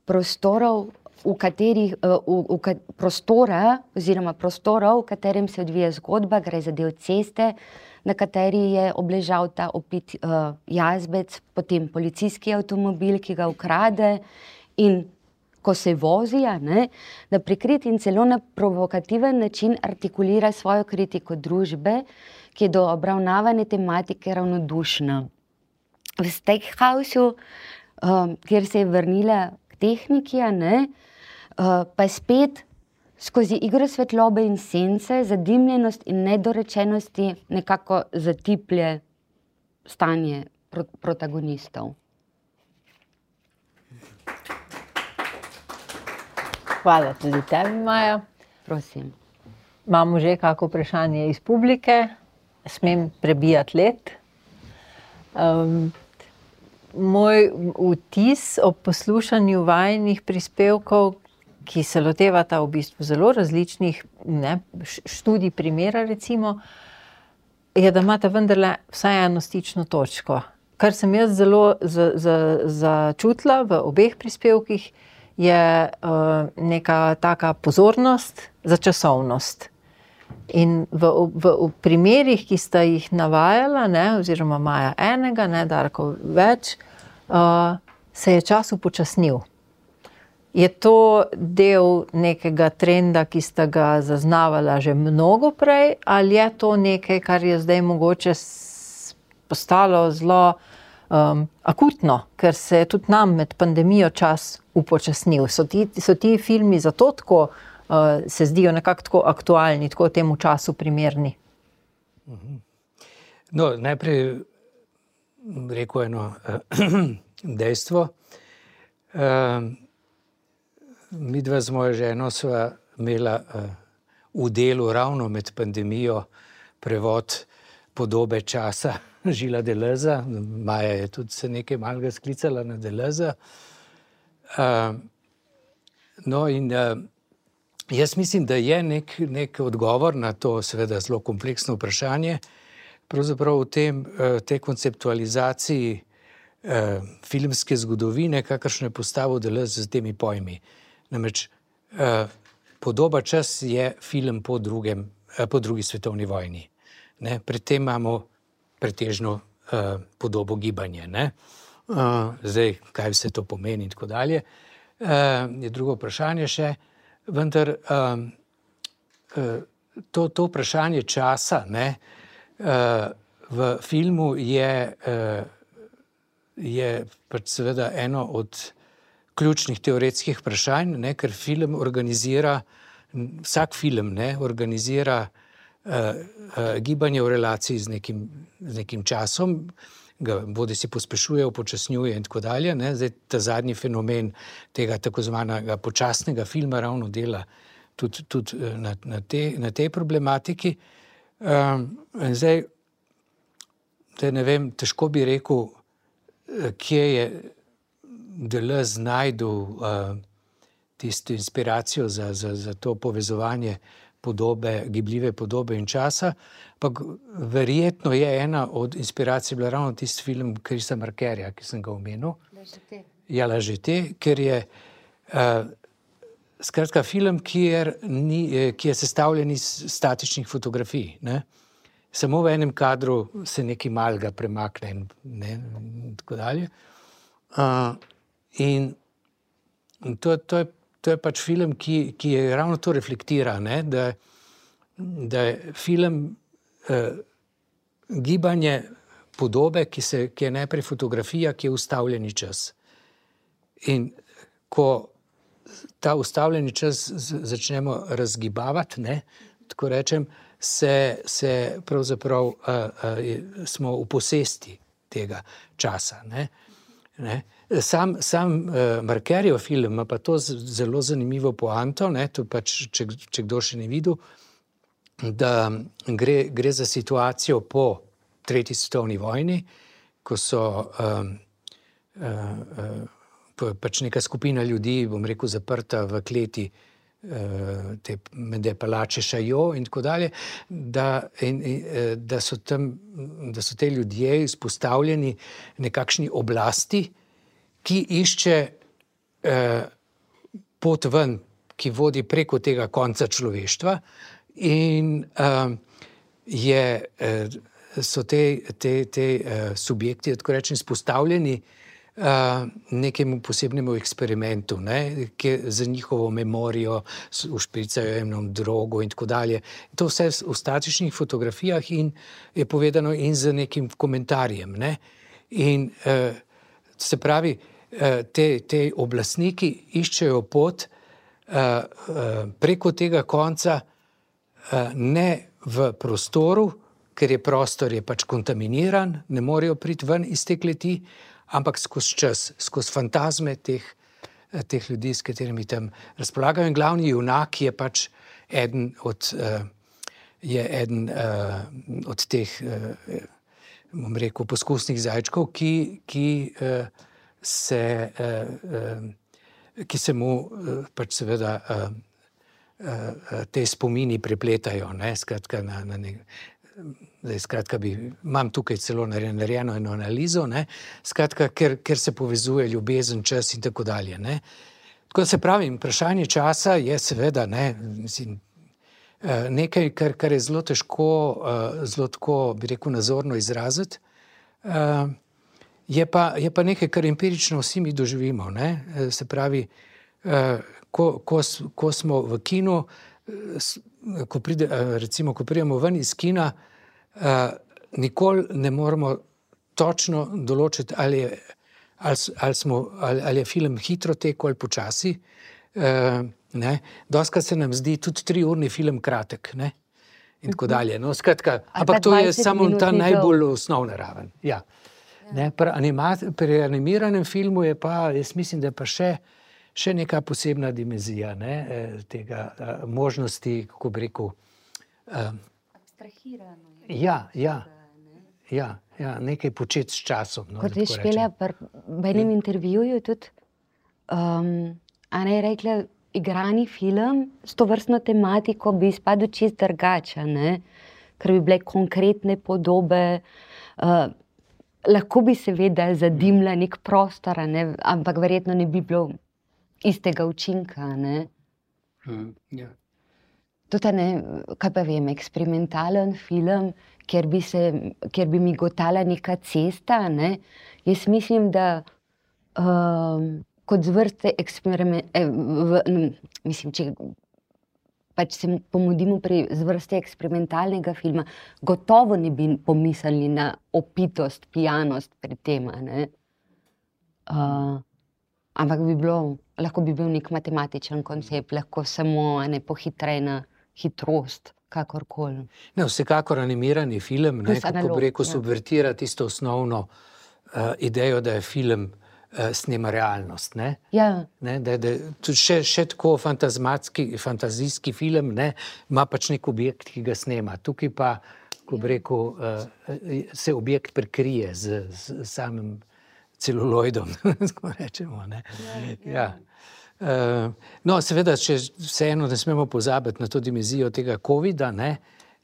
Speaker 3: prostorov, v katerih, uh, v, v, prostora, oziroma prostorov, v katerem se odvija zgodba, gre za del ceste, na kateri je obležal ta opit uh, jazbec, potem policijski avtomobil, ki ga ukrade, in ko se vozi, ne, da prikrit in celo na provokativen način artikulira svojo kritiko družbe, ki je do obravnavane tematike ravnodušna. V Steakhausu, uh, kjer se je vrnila k tehniki, ne, uh, pa spet skozi igro svetlobe in sence, zadimljenost in nedorečenosti nekako zatiplje stanje pro protagonistov.
Speaker 1: Hvala tudi tebi, Maja.
Speaker 3: Prosim.
Speaker 1: Imamo že kako vprašanje iz publike, smem prebijati let. Um, moj vtis ob poslušanju vajinih prispevkov, ki se lotevata v bistvu zelo različnih, ne, študij primera recimo, je, da imata vendarle vsaj eno stično točko. Kar sem jaz zelo začutila v obeh prispevkih, je uh, neka taka pozornost za časovnost. In v, v, v primerih, ki sta jih navajala, ne, oziroma Maja enega, ne, Darko več, uh, se je čas upočasnil. Je to del nekega trenda, ki sta ga zaznavala že mnogo prej, ali je to nekaj, kar je zdaj mogoče postalo zelo um, akutno, ker se je tudi nam med pandemijo čas upočasnil? So ti, so ti filmi zato tako, uh, se zdijo nekako tako aktualni, tako temu času primerni?
Speaker 2: No, najprej rekel eno dejstvo. Um, Midva z mojo ženo sva imela uh, v delu ravno med pandemijo prevod Podobe časa Žila Deleuza. Maja je tudi se nekaj malega sklicala na Deleuza. Uh, no in uh, jaz mislim, da je nek, nek odgovor na to seveda zelo kompleksno vprašanje, pravzaprav v tem, uh, tej konceptualizaciji uh, filmske zgodovine, kakršno je postavil Deleuze z temi pojmi. Namreč eh, Podoba čas je film po, drugem, eh, po drugi svetovni vojni. Ne? Pred tem imamo pretežno eh, podobo gibanja. Ne? Uh, zdaj, kaj vse to pomeni in tako dalje, uh, je drugo vprašanje še. Vendar um, uh, to, to vprašanje časa, ne, uh, v filmu je, uh, je pač seveda eno od ključnih teoretskih vprašanj, ne, ker film organizira, vsak film ne, organizira uh, uh, gibanje v relaciji z nekim, z nekim časom, ga bodi si pospešuje, upočasnjuje in tako dalje. Ne. Zdaj, ta zadnji fenomen tega tako zvanega počasnega filma ravno dela tudi, tudi na, na, te, na tej problematiki. Um, zdaj, zdaj, ne vem, težko bi rekel, kje je Deleuze znajdel uh, tisto inspiracijo za, za, za to povezovanje podobe, gibljive podobe in časa, pa verjetno je ena od inspiracij bila ravno tisti film Chrisa Markerja, ki sem ga omenil. Ja, Lažete, ker je uh, skratka film, kjer ni, ki je sestavljen iz statičnih fotografij, ne? Samo v enem kadru se nekaj malega premakne in, ne, in tako dalje. Uh, in to, to je To je pač film, ki, ki je ravno to reflektira, ne? Da, da je film eh, gibanje podobe, ki, se, ki je najprej fotografija, ki je ustavljeni čas. In ko ta ustavljeni čas z, začnemo razgibavati, ne? Tako rečem, se, se pravzaprav eh, eh, smo v posesti tega časa, ne? Ne? Sam, sam uh, Markerjev film ima pa to zelo zanimivo poanto, ne, to pač, če, če kdo še ne videl, da gre, gre za situacijo po tretji svetovni vojni, ko so um, uh, uh, pač neka skupina ljudi, bom rekel, zaprta v kleti uh, te mede palače Chaillot in tako dalje, da, in, in, da, so tam, da so te ljudje izpostavljeni nekakšni oblasti, ki išče eh, pot ven, ki vodi preko tega konca človeštva in eh, je, eh, so te, te, te eh, subjekti, tako rečem, izpostavljeni eh, nekemu posebnemu eksperimentu, ne, ki za njihovo memorijo ušpricajo eno drogo in tako dalje. To vse v statičnih fotografijah in je povedano in z nekim komentarjem, ne. In eh, se pravi, te, te oblastniki iščejo pot preko tega konca, ne v prostoru, ker je prostor je pač kontaminiran, ne morejo priti ven iz te kleti, ampak skozi čas, skozi fantazme teh, teh ljudi, s katerimi tam razpolagajo. In glavni junak je pač eden od, je eden od teh, bom rekel, poskusnih zajčkov, ki, ki se, ki se mu pač seveda te spomini prepletajo, ne, skratka na, na nek, zdaj, skratka bi, imam tukaj celo narejeno eno analizo, ne, skratka, ker, ker se povezuje ljubezen, čas in tako dalje, ne. Tako se pravi, vprašanje časa je seveda, ne, mislim, nekaj, kar, kar je zelo težko, zelo tako, bi rekel, nazorno izraziti, Je pa, je pa nekaj, kar empirično vsi mi doživimo, ne? Se pravi, ko, ko, ko smo v kinu, ko pride, recimo, ko pridemo ven iz kina, nikoli ne moremo točno določiti, ali je, ali, ali smo, ali, ali je film hitro tekel ali počasi, ne? Dostikrat se nam zdi tudi triurni film kratek, ne? In tako dalje. No, skratka, ampak to je samo ta najbolj osnovna raven, ja. Ne, pri, animat, pri animiranem filmu je pa, jaz mislim, da je pa še, še neka posebna dimenzija, ne, tega možnosti, kako bi rekel. Um,
Speaker 3: Abstrahirano.
Speaker 2: Ja, ja, ja, ja, nekaj početi s časom. No,
Speaker 3: kot veš, Špela, v enem intervjuju tudi, um, Ana je rekla, igrani film s to vrstno tematiko bi izpadel čist drugače, ne, ker bi bile konkretne podobe, uh, lahko bi seveda zadimla nek prostor, ne? Ampak verjetno ne bi bilo istega učinka. Ne?
Speaker 2: Mm, yeah.
Speaker 3: Tudi, ne, kaj pa vem, eksperimentalen film, kjer bi, se, kjer bi mi gotala neka cesta. Ne? Jaz mislim, da um, kot zvrste eksperiment, eh, v, mislim, če pač se pomudimo pri zvrsti eksperimentalnega filma, gotovo ne bi pomislili na opitost, pijanost pri tem. Ne? Uh, ampak bi bilo, lahko bi bil nek matematičen koncept, lahko samo ene pohitrena hitrost, kakorkoli.
Speaker 2: Ne, vsekakor animirani film, ne,
Speaker 3: Plus
Speaker 2: kako
Speaker 3: analog,
Speaker 2: bi rekel,
Speaker 3: ja.
Speaker 2: subvertira tisto osnovno uh, idejo, da je film uh, snema realnost. Ne?
Speaker 3: Ja,
Speaker 2: Ne, da, da, tudi še, še tako fantazmatski, fantazijski film, ne, ima pač nek objekt, ki ga snema. Tukaj pa, ko bi rekel, uh, se objekt prekrije z, z samim celuloidom, tako rečemo. Ne. Ja. Uh, no, seveda, če vseeno ne smemo pozabiti na to dimenzijo tega covida, ne,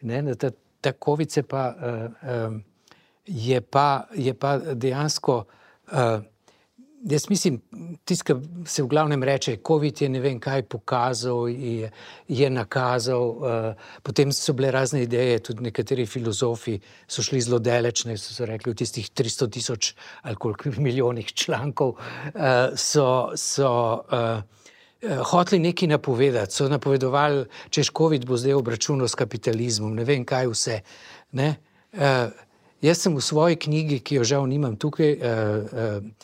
Speaker 2: ne, ta, ta covid se pa, uh, um, je pa, je pa dejansko, uh, jaz mislim, tisto, ki se v glavnem reče, covid je ne vem kaj pokazal, je, je nakazal, uh, potem so bile razne ideje, tudi nekateri filozofi so šli zelo daleč, ne, so, so rekli v tistih tristo tisoč ali koliko milijonih člankov, uh, so, so uh, uh, hoteli nekaj napovedati, so napovedovali, češ covid bo zdaj obračunal s kapitalizmom, ne vem kaj vse. Ne. Uh, jaz sem v svoji knjigi, ki jo žal nimam tukaj, uh, uh,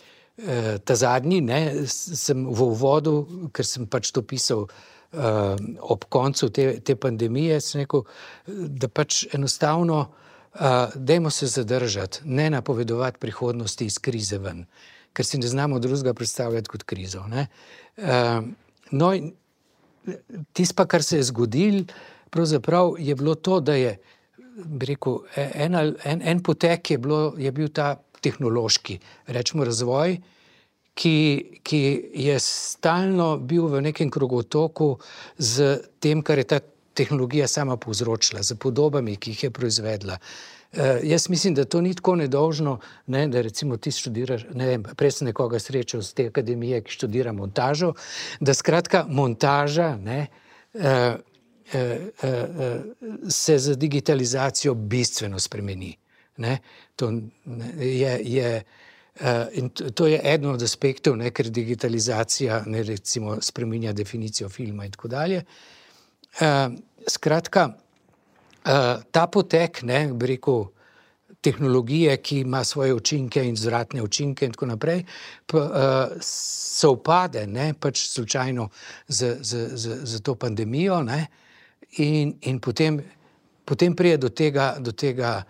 Speaker 2: ta zadnji, ne, sem v uvodu, ker sem pač to pisal uh, ob koncu te, te pandemije, sem rekel, da pač enostavno uh, dajmo se zadržati, ne napovedovati prihodnosti iz krize ven, ker si ne znamo drugega predstavljati kot krizo. Ne. Uh, no, tisto pa, kar se je zgodil, pravzaprav je bilo to, da je, bi rekel, en, en, en potek je, bilo, je bil ta tehnološki, rečemo razvoj, ki, ki je stalno bil v nekem krogotoku z tem, kar je ta tehnologija sama povzročila, z podobami, ki jih je proizvedla. Uh, jaz mislim, da to ni tako nedolžno, ne, da recimo ti študiraš, ne vem, prej sem nekoga srečal z te akademije, ki študira montažo, da skratka montaža, ne, uh, uh, uh, se z digitalizacijo bistveno spremeni. Ne, to, ne, je, je, uh, in to je eden od aspektov, ne, ker digitalizacija ne, recimo, spreminja definicijo filma in tako dalje. Uh, skratka, uh, ta potek, ne, bi rekel, tehnologije, ki ima svoje učinke in zvratne učinke in tako naprej, pa, uh, sovpade, ne, pač slučajno z, z, z, z to pandemijo, ne, in, in potem, potem prije do tega, do tega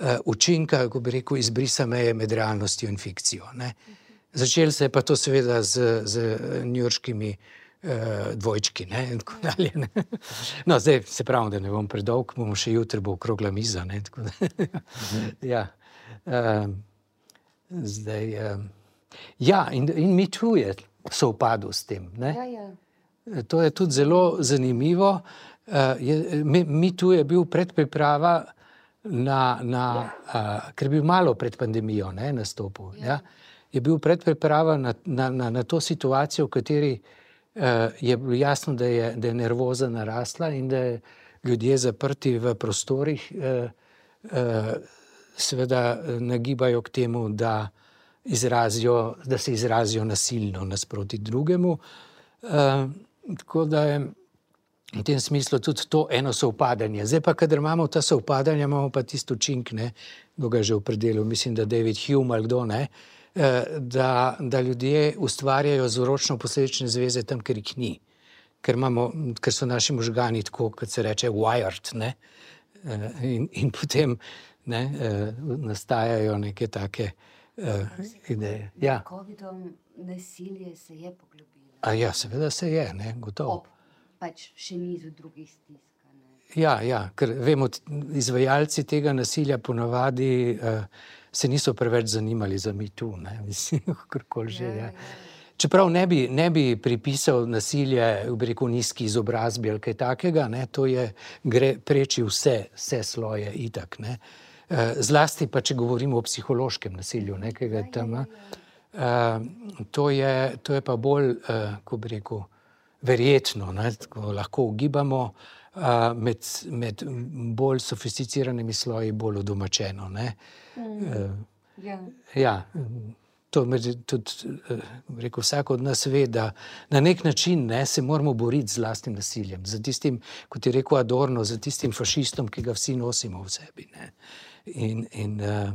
Speaker 2: Uh, učinka, ko bi rekel, izbrisa meje med realnostjo in fikcijo. Ne. Začelo se je pa to seveda z, z njujorškimi uh, dvojčki, ne, in tako dalje. Ne. No, zdaj se pravim, da ne bom predolg, bomo še jutri bo okrogla miza, ne, tako da. Ja. Uh, zdaj, uh, ja, in, in mi tu je sovpadel s tem, ne.
Speaker 3: ja, ja.
Speaker 2: To je tudi zelo zanimivo. Uh, je, mi, mi tu je bil predpriprava na, na uh, ker je bil malo pred pandemijo, ne, nastopil, ja. Ja, je bil predpriprava na, na, na, na to situacijo, v kateri uh, je bilo jasno, da je, da je nervoza narasla in da je ljudje zaprti v prostorih, uh, uh, seveda nagibajo k temu, da, izrazijo, da se izrazijo nasilno nasproti drugemu. Uh, tako da je v tem smislu tudi to eno sovpadanje. Zdaj pa, kadar imamo ta sovpadanja, imamo pa tisto učink, ne, kdo ga že opredelil, mislim, da David Hume ali kdo, ne, da, da ljudje ustvarjajo vzročno-posledične zveze tam, ker jih ni. Ker, imamo, ker so naši možgani tako, kot se reče, wired, ne, in, in potem ne, nastajajo neke take uh, ideje. Ja.
Speaker 3: Covidom nasilje se je poglobilo.
Speaker 2: A ja, seveda se je, ne, gotovo.
Speaker 3: Ob pač še nizu drugih stisk.
Speaker 2: Ja, ja, ker vemo, izvajalci tega nasilja ponavadi uh, se niso preveč zanimali za Me Too, ne, mislim, kakorkoli že, ja. Čeprav ne bi, ne bi pripisal nasilje, bi rekel, nizki izobrazbi ali kaj takega, ne, to je, gre preči vse, vse sloje itak, ne. Uh, zlasti pa, če govorimo o psihološkem nasilju, nekega tam, uh, to je, to je pa bolj, uh, ko bi rekel, verjetno, ne, tako lahko ugibamo, uh, med, med bolj sofisticiranimi sloji bolj odomačeno, ne. Mm. Uh,
Speaker 3: ja.
Speaker 2: Ja, to med, tudi, uh, rekel, vsak od nas ve, da na nek način, ne, se moramo boriti z lastnim nasiljem, za tistim, kot je rekel Adorno, za tistim fašistom, ki ga vsi nosimo v sebi, ne. In, in uh,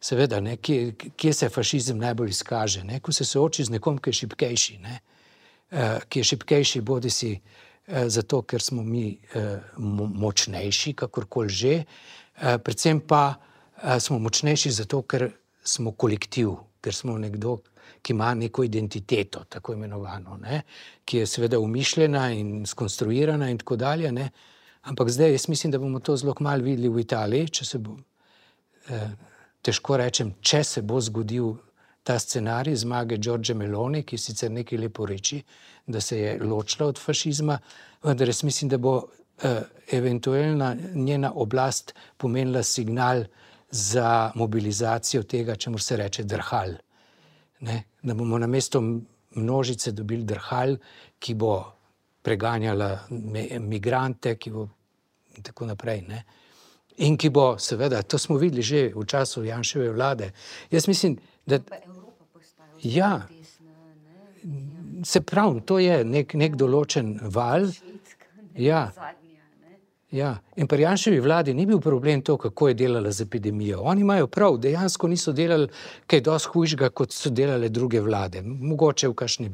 Speaker 2: seveda, ne, kje, kje se fašizem najbolj izkaže, ne, ko se sooči z nekom, ki je šibkejši, ne, uh, ki je šibkejši, bodi si uh, zato, ker smo mi uh, močnejši, kakorkoli že, uh, predvsem pa uh, smo močnejši zato, ker smo kolektiv, ker smo nekdo, ki ima neko identiteto, tako imenovano, ne, ki je seveda umišljena in skonstruirana in tako dalje, ne, ampak zdaj jaz mislim, da bomo to zelo kmalu videli v Italiji, če se bo, eh, težko rečem, če se bo zgodil ta scenarij zmage Giorgie Meloni, ki sicer nekaj lepo reči, da se je ločila od fašizma, vendar jaz mislim, da bo eh, eventualna njena oblast pomenila signal za mobilizacijo tega, čemu se reče drhal. Ne? Da bomo namesto množice dobili drhal, ki bo preganjala migrante, ki bo in tako naprej. Ne? In ki bo, seveda, to smo videli že v času Janševe vlade. Jaz mislim, da... Ja, se pravi, to je nek, nek določen val. Ja. Ja, in pri Janševi vladi ni bil problem to, kako je delala z epidemijo. Oni imajo prav, dejansko niso delali kaj dosti hujšega, kot so delale druge vlade. Mogoče v kakšni,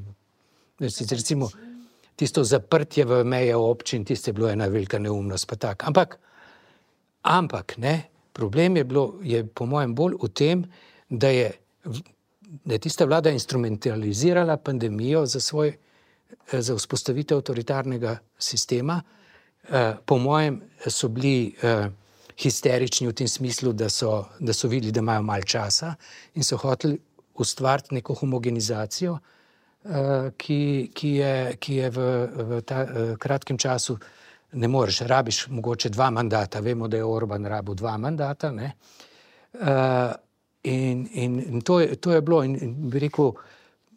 Speaker 2: recimo, tisto zaprtje v meje občin, tisto je bilo ena velika neumnost, pa tak. Ampak, ampak, ne, problem je bilo, je po mojem bolj v tem, da je, da je tista vlada instrumentalizirala pandemijo za svoj, za vzpostavitev avtoritarnega sistema. Uh, po mojem so bili uh, histerični v tem smislu, da so, da so videli, da imajo malo časa in so hoteli ustvariti neko homogenizacijo, uh, ki, ki je, ki je v, v ta uh, kratkem času ne moreš, rabiš mogoče dva mandata, vemo, da je Orban rabil dva mandata, ne? Uh, in, in, in to je, to je bilo, in, in bi rekel,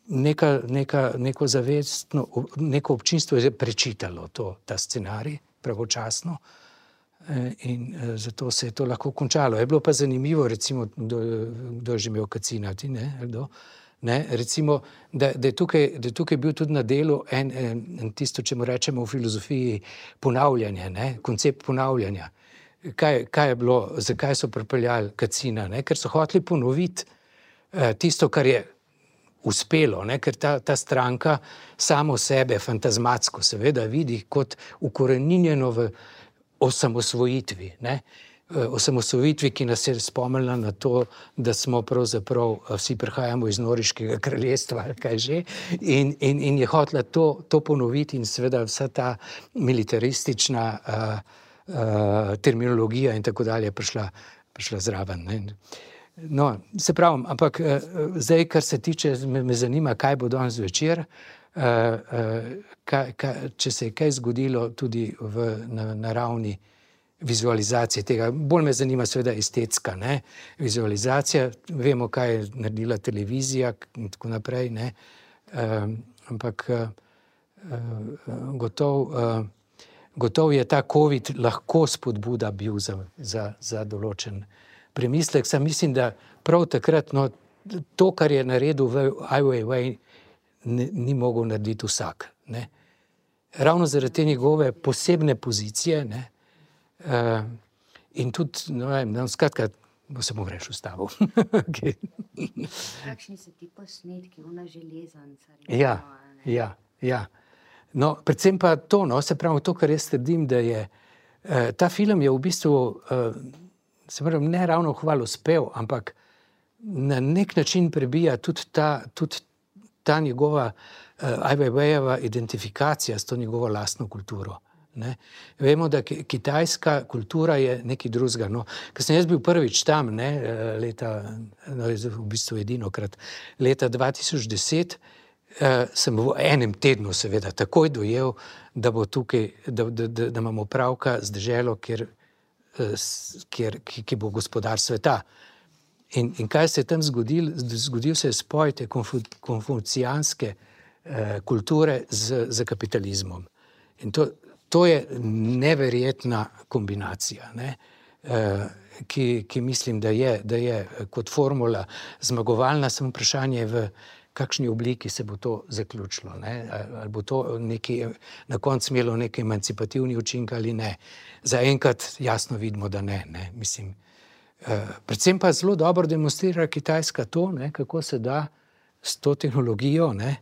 Speaker 2: neka, neka, neko zavestno, neko občinstvo je prečitalo to, ta scenarij, pravočasno, in zato se je to lahko končalo. Je bilo pa zanimivo, recimo, kdo, kdo je že imel Kacina, ti ne, kdo, ne, recimo, da, da, je tukaj, da je tukaj bil tudi na delu en, en, en tisto, če mu rečemo v filozofiji, ponavljanje, ne, koncept ponavljanja. Kaj, kaj je bilo, zakaj so pripeljali Kacina, ne, ker so hoteli ponoviti eh, tisto, kar je uspelo, ne? Ker ta, ta stranka samo sebe fantazmatsko seveda vidi kot ukoreninjeno v osamosvojitvi, ne? Osamosvojitvi, ki nas je spomnila na to, da smo pravzaprav vsi prihajamo iz Noriškega kraljestva, kaj že, in, in, in je hotela to, to ponoviti in seveda vsa ta militaristična uh, uh, terminologija in tako dalje prišla, prišla zraven, ne? No, se pravim, ampak uh, zdaj, kar se tiče, me, me zanima, kaj bo danes večer, uh, uh, kaj, kaj, če se je kaj zgodilo tudi v, na, na ravni vizualizacije tega. Bolj me zanima seveda estetska, ne, vizualizacija, vemo, kaj je naredila televizija in tako naprej, ne, uh, ampak uh, uh, gotov, uh, gotov je ta COVID lahko spodbuda bil za, za, za določen premislek. Sam mislim, da prav takrat, no, to, kar je naredil v Ai Weiwei, ni mogel narediti vsak, ne. Ravno zaradi te njegove posebne pozicije, ne, uh, in tudi, no, no, skratka, bo se mu greš ustavil. Okay.
Speaker 3: Kakšni so ti posnetki, ona železanca?
Speaker 2: Ja, ja, ja. No, predvsem pa to, no, se pravi to, kar jaz trdim, da je, uh, ta film je v bistvu, uh, se pravi, ne ravno hvalospev, ampak na nek način prebija tudi ta, tudi ta njegova uh, Ai Weiweiova identifikacija s to njegovo lastno kulturo. Ne? Vemo, da kitajska kultura je nekaj drugega. No, ko sem jaz bil prvič tam, ne, leta, no, v bistvu edinokrat, leta dva tisoč deset, uh, sem v enem tednu seveda takoj dojel, da bo tukaj, da, da, da, da imamo pravka z deželo, kjer Kjer, ki, ki bo gospodar sveta. In, in kaj se je tam zgodil? Zgodil se je spoj te konfu, konfucijanske eh, kulture z, z kapitalizmom. In to, to je neverjetna kombinacija, ne? eh, ki, ki mislim, da je, da je kot formula zmagovalna, samo vprašanje v kakšni obliki se bo to zaključilo, ne? Ali bo to neki, na koncu imelo neki emancipativni učinek ali ne. Zaenkrat jasno vidimo, da ne, ne. Mislim, predvsem pa zelo dobro demonstrira Kitajska to, ne, kako se da s to tehnologijo, ne,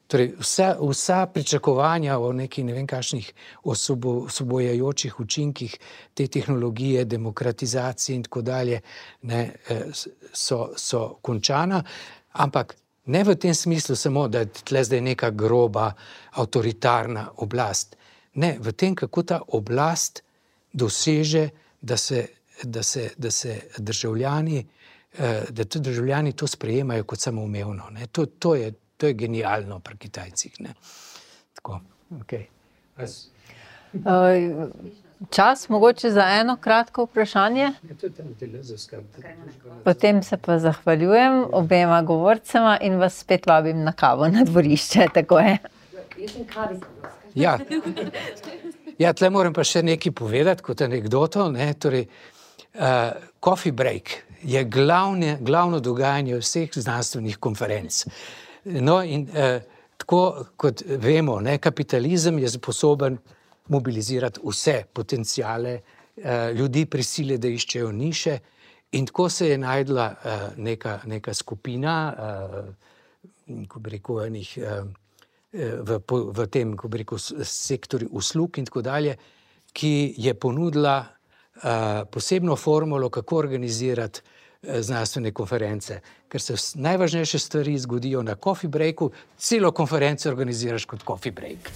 Speaker 2: torej vsa, vsa pričakovanja o neki ne vem kakšnih osobo, osobojajočih učinkih te tehnologije, demokratizacije in tako dalje, ne, so, so končana, ampak ne v tem smislu samo, da je tle zdaj neka groba, avtoritarna oblast. Ne, v tem, kako ta oblast doseže, da se, da se, da se državljani, da tudi državljani to sprejemajo kot samoumevno. Ne. To, to je To je genialno pri Kitajcih. Ne? Tako, okay. As...
Speaker 1: Čas mogoče za eno kratko vprašanje. Potem se pa zahvaljujem obema govorcema in vas spet vabim na kavo na dvorišče. Tako je.
Speaker 2: Ja, ja, tle moram pa še nekaj povedati kot anekdoto. Ne? Torej, uh, coffee break je glavne, glavno dogajanje vseh znanstvenih konferenc. No, in eh, tako kot vemo, ne, kapitalizem je sposoben mobilizirati vse potencijale, eh, ljudi prisili, da iščejo niše, in tako se je najdla eh, neka, neka skupina, eh, ko bi rekel, enih, eh, v, v tem, ko bi rekel, sektorju uslug in tako dalje, ki je ponudila eh, posebno formulo, kako organizirati znanstvene konference, ker se najvažnejše stvari zgodijo na coffee breaku, celo konferenco organiziraš kot coffee break.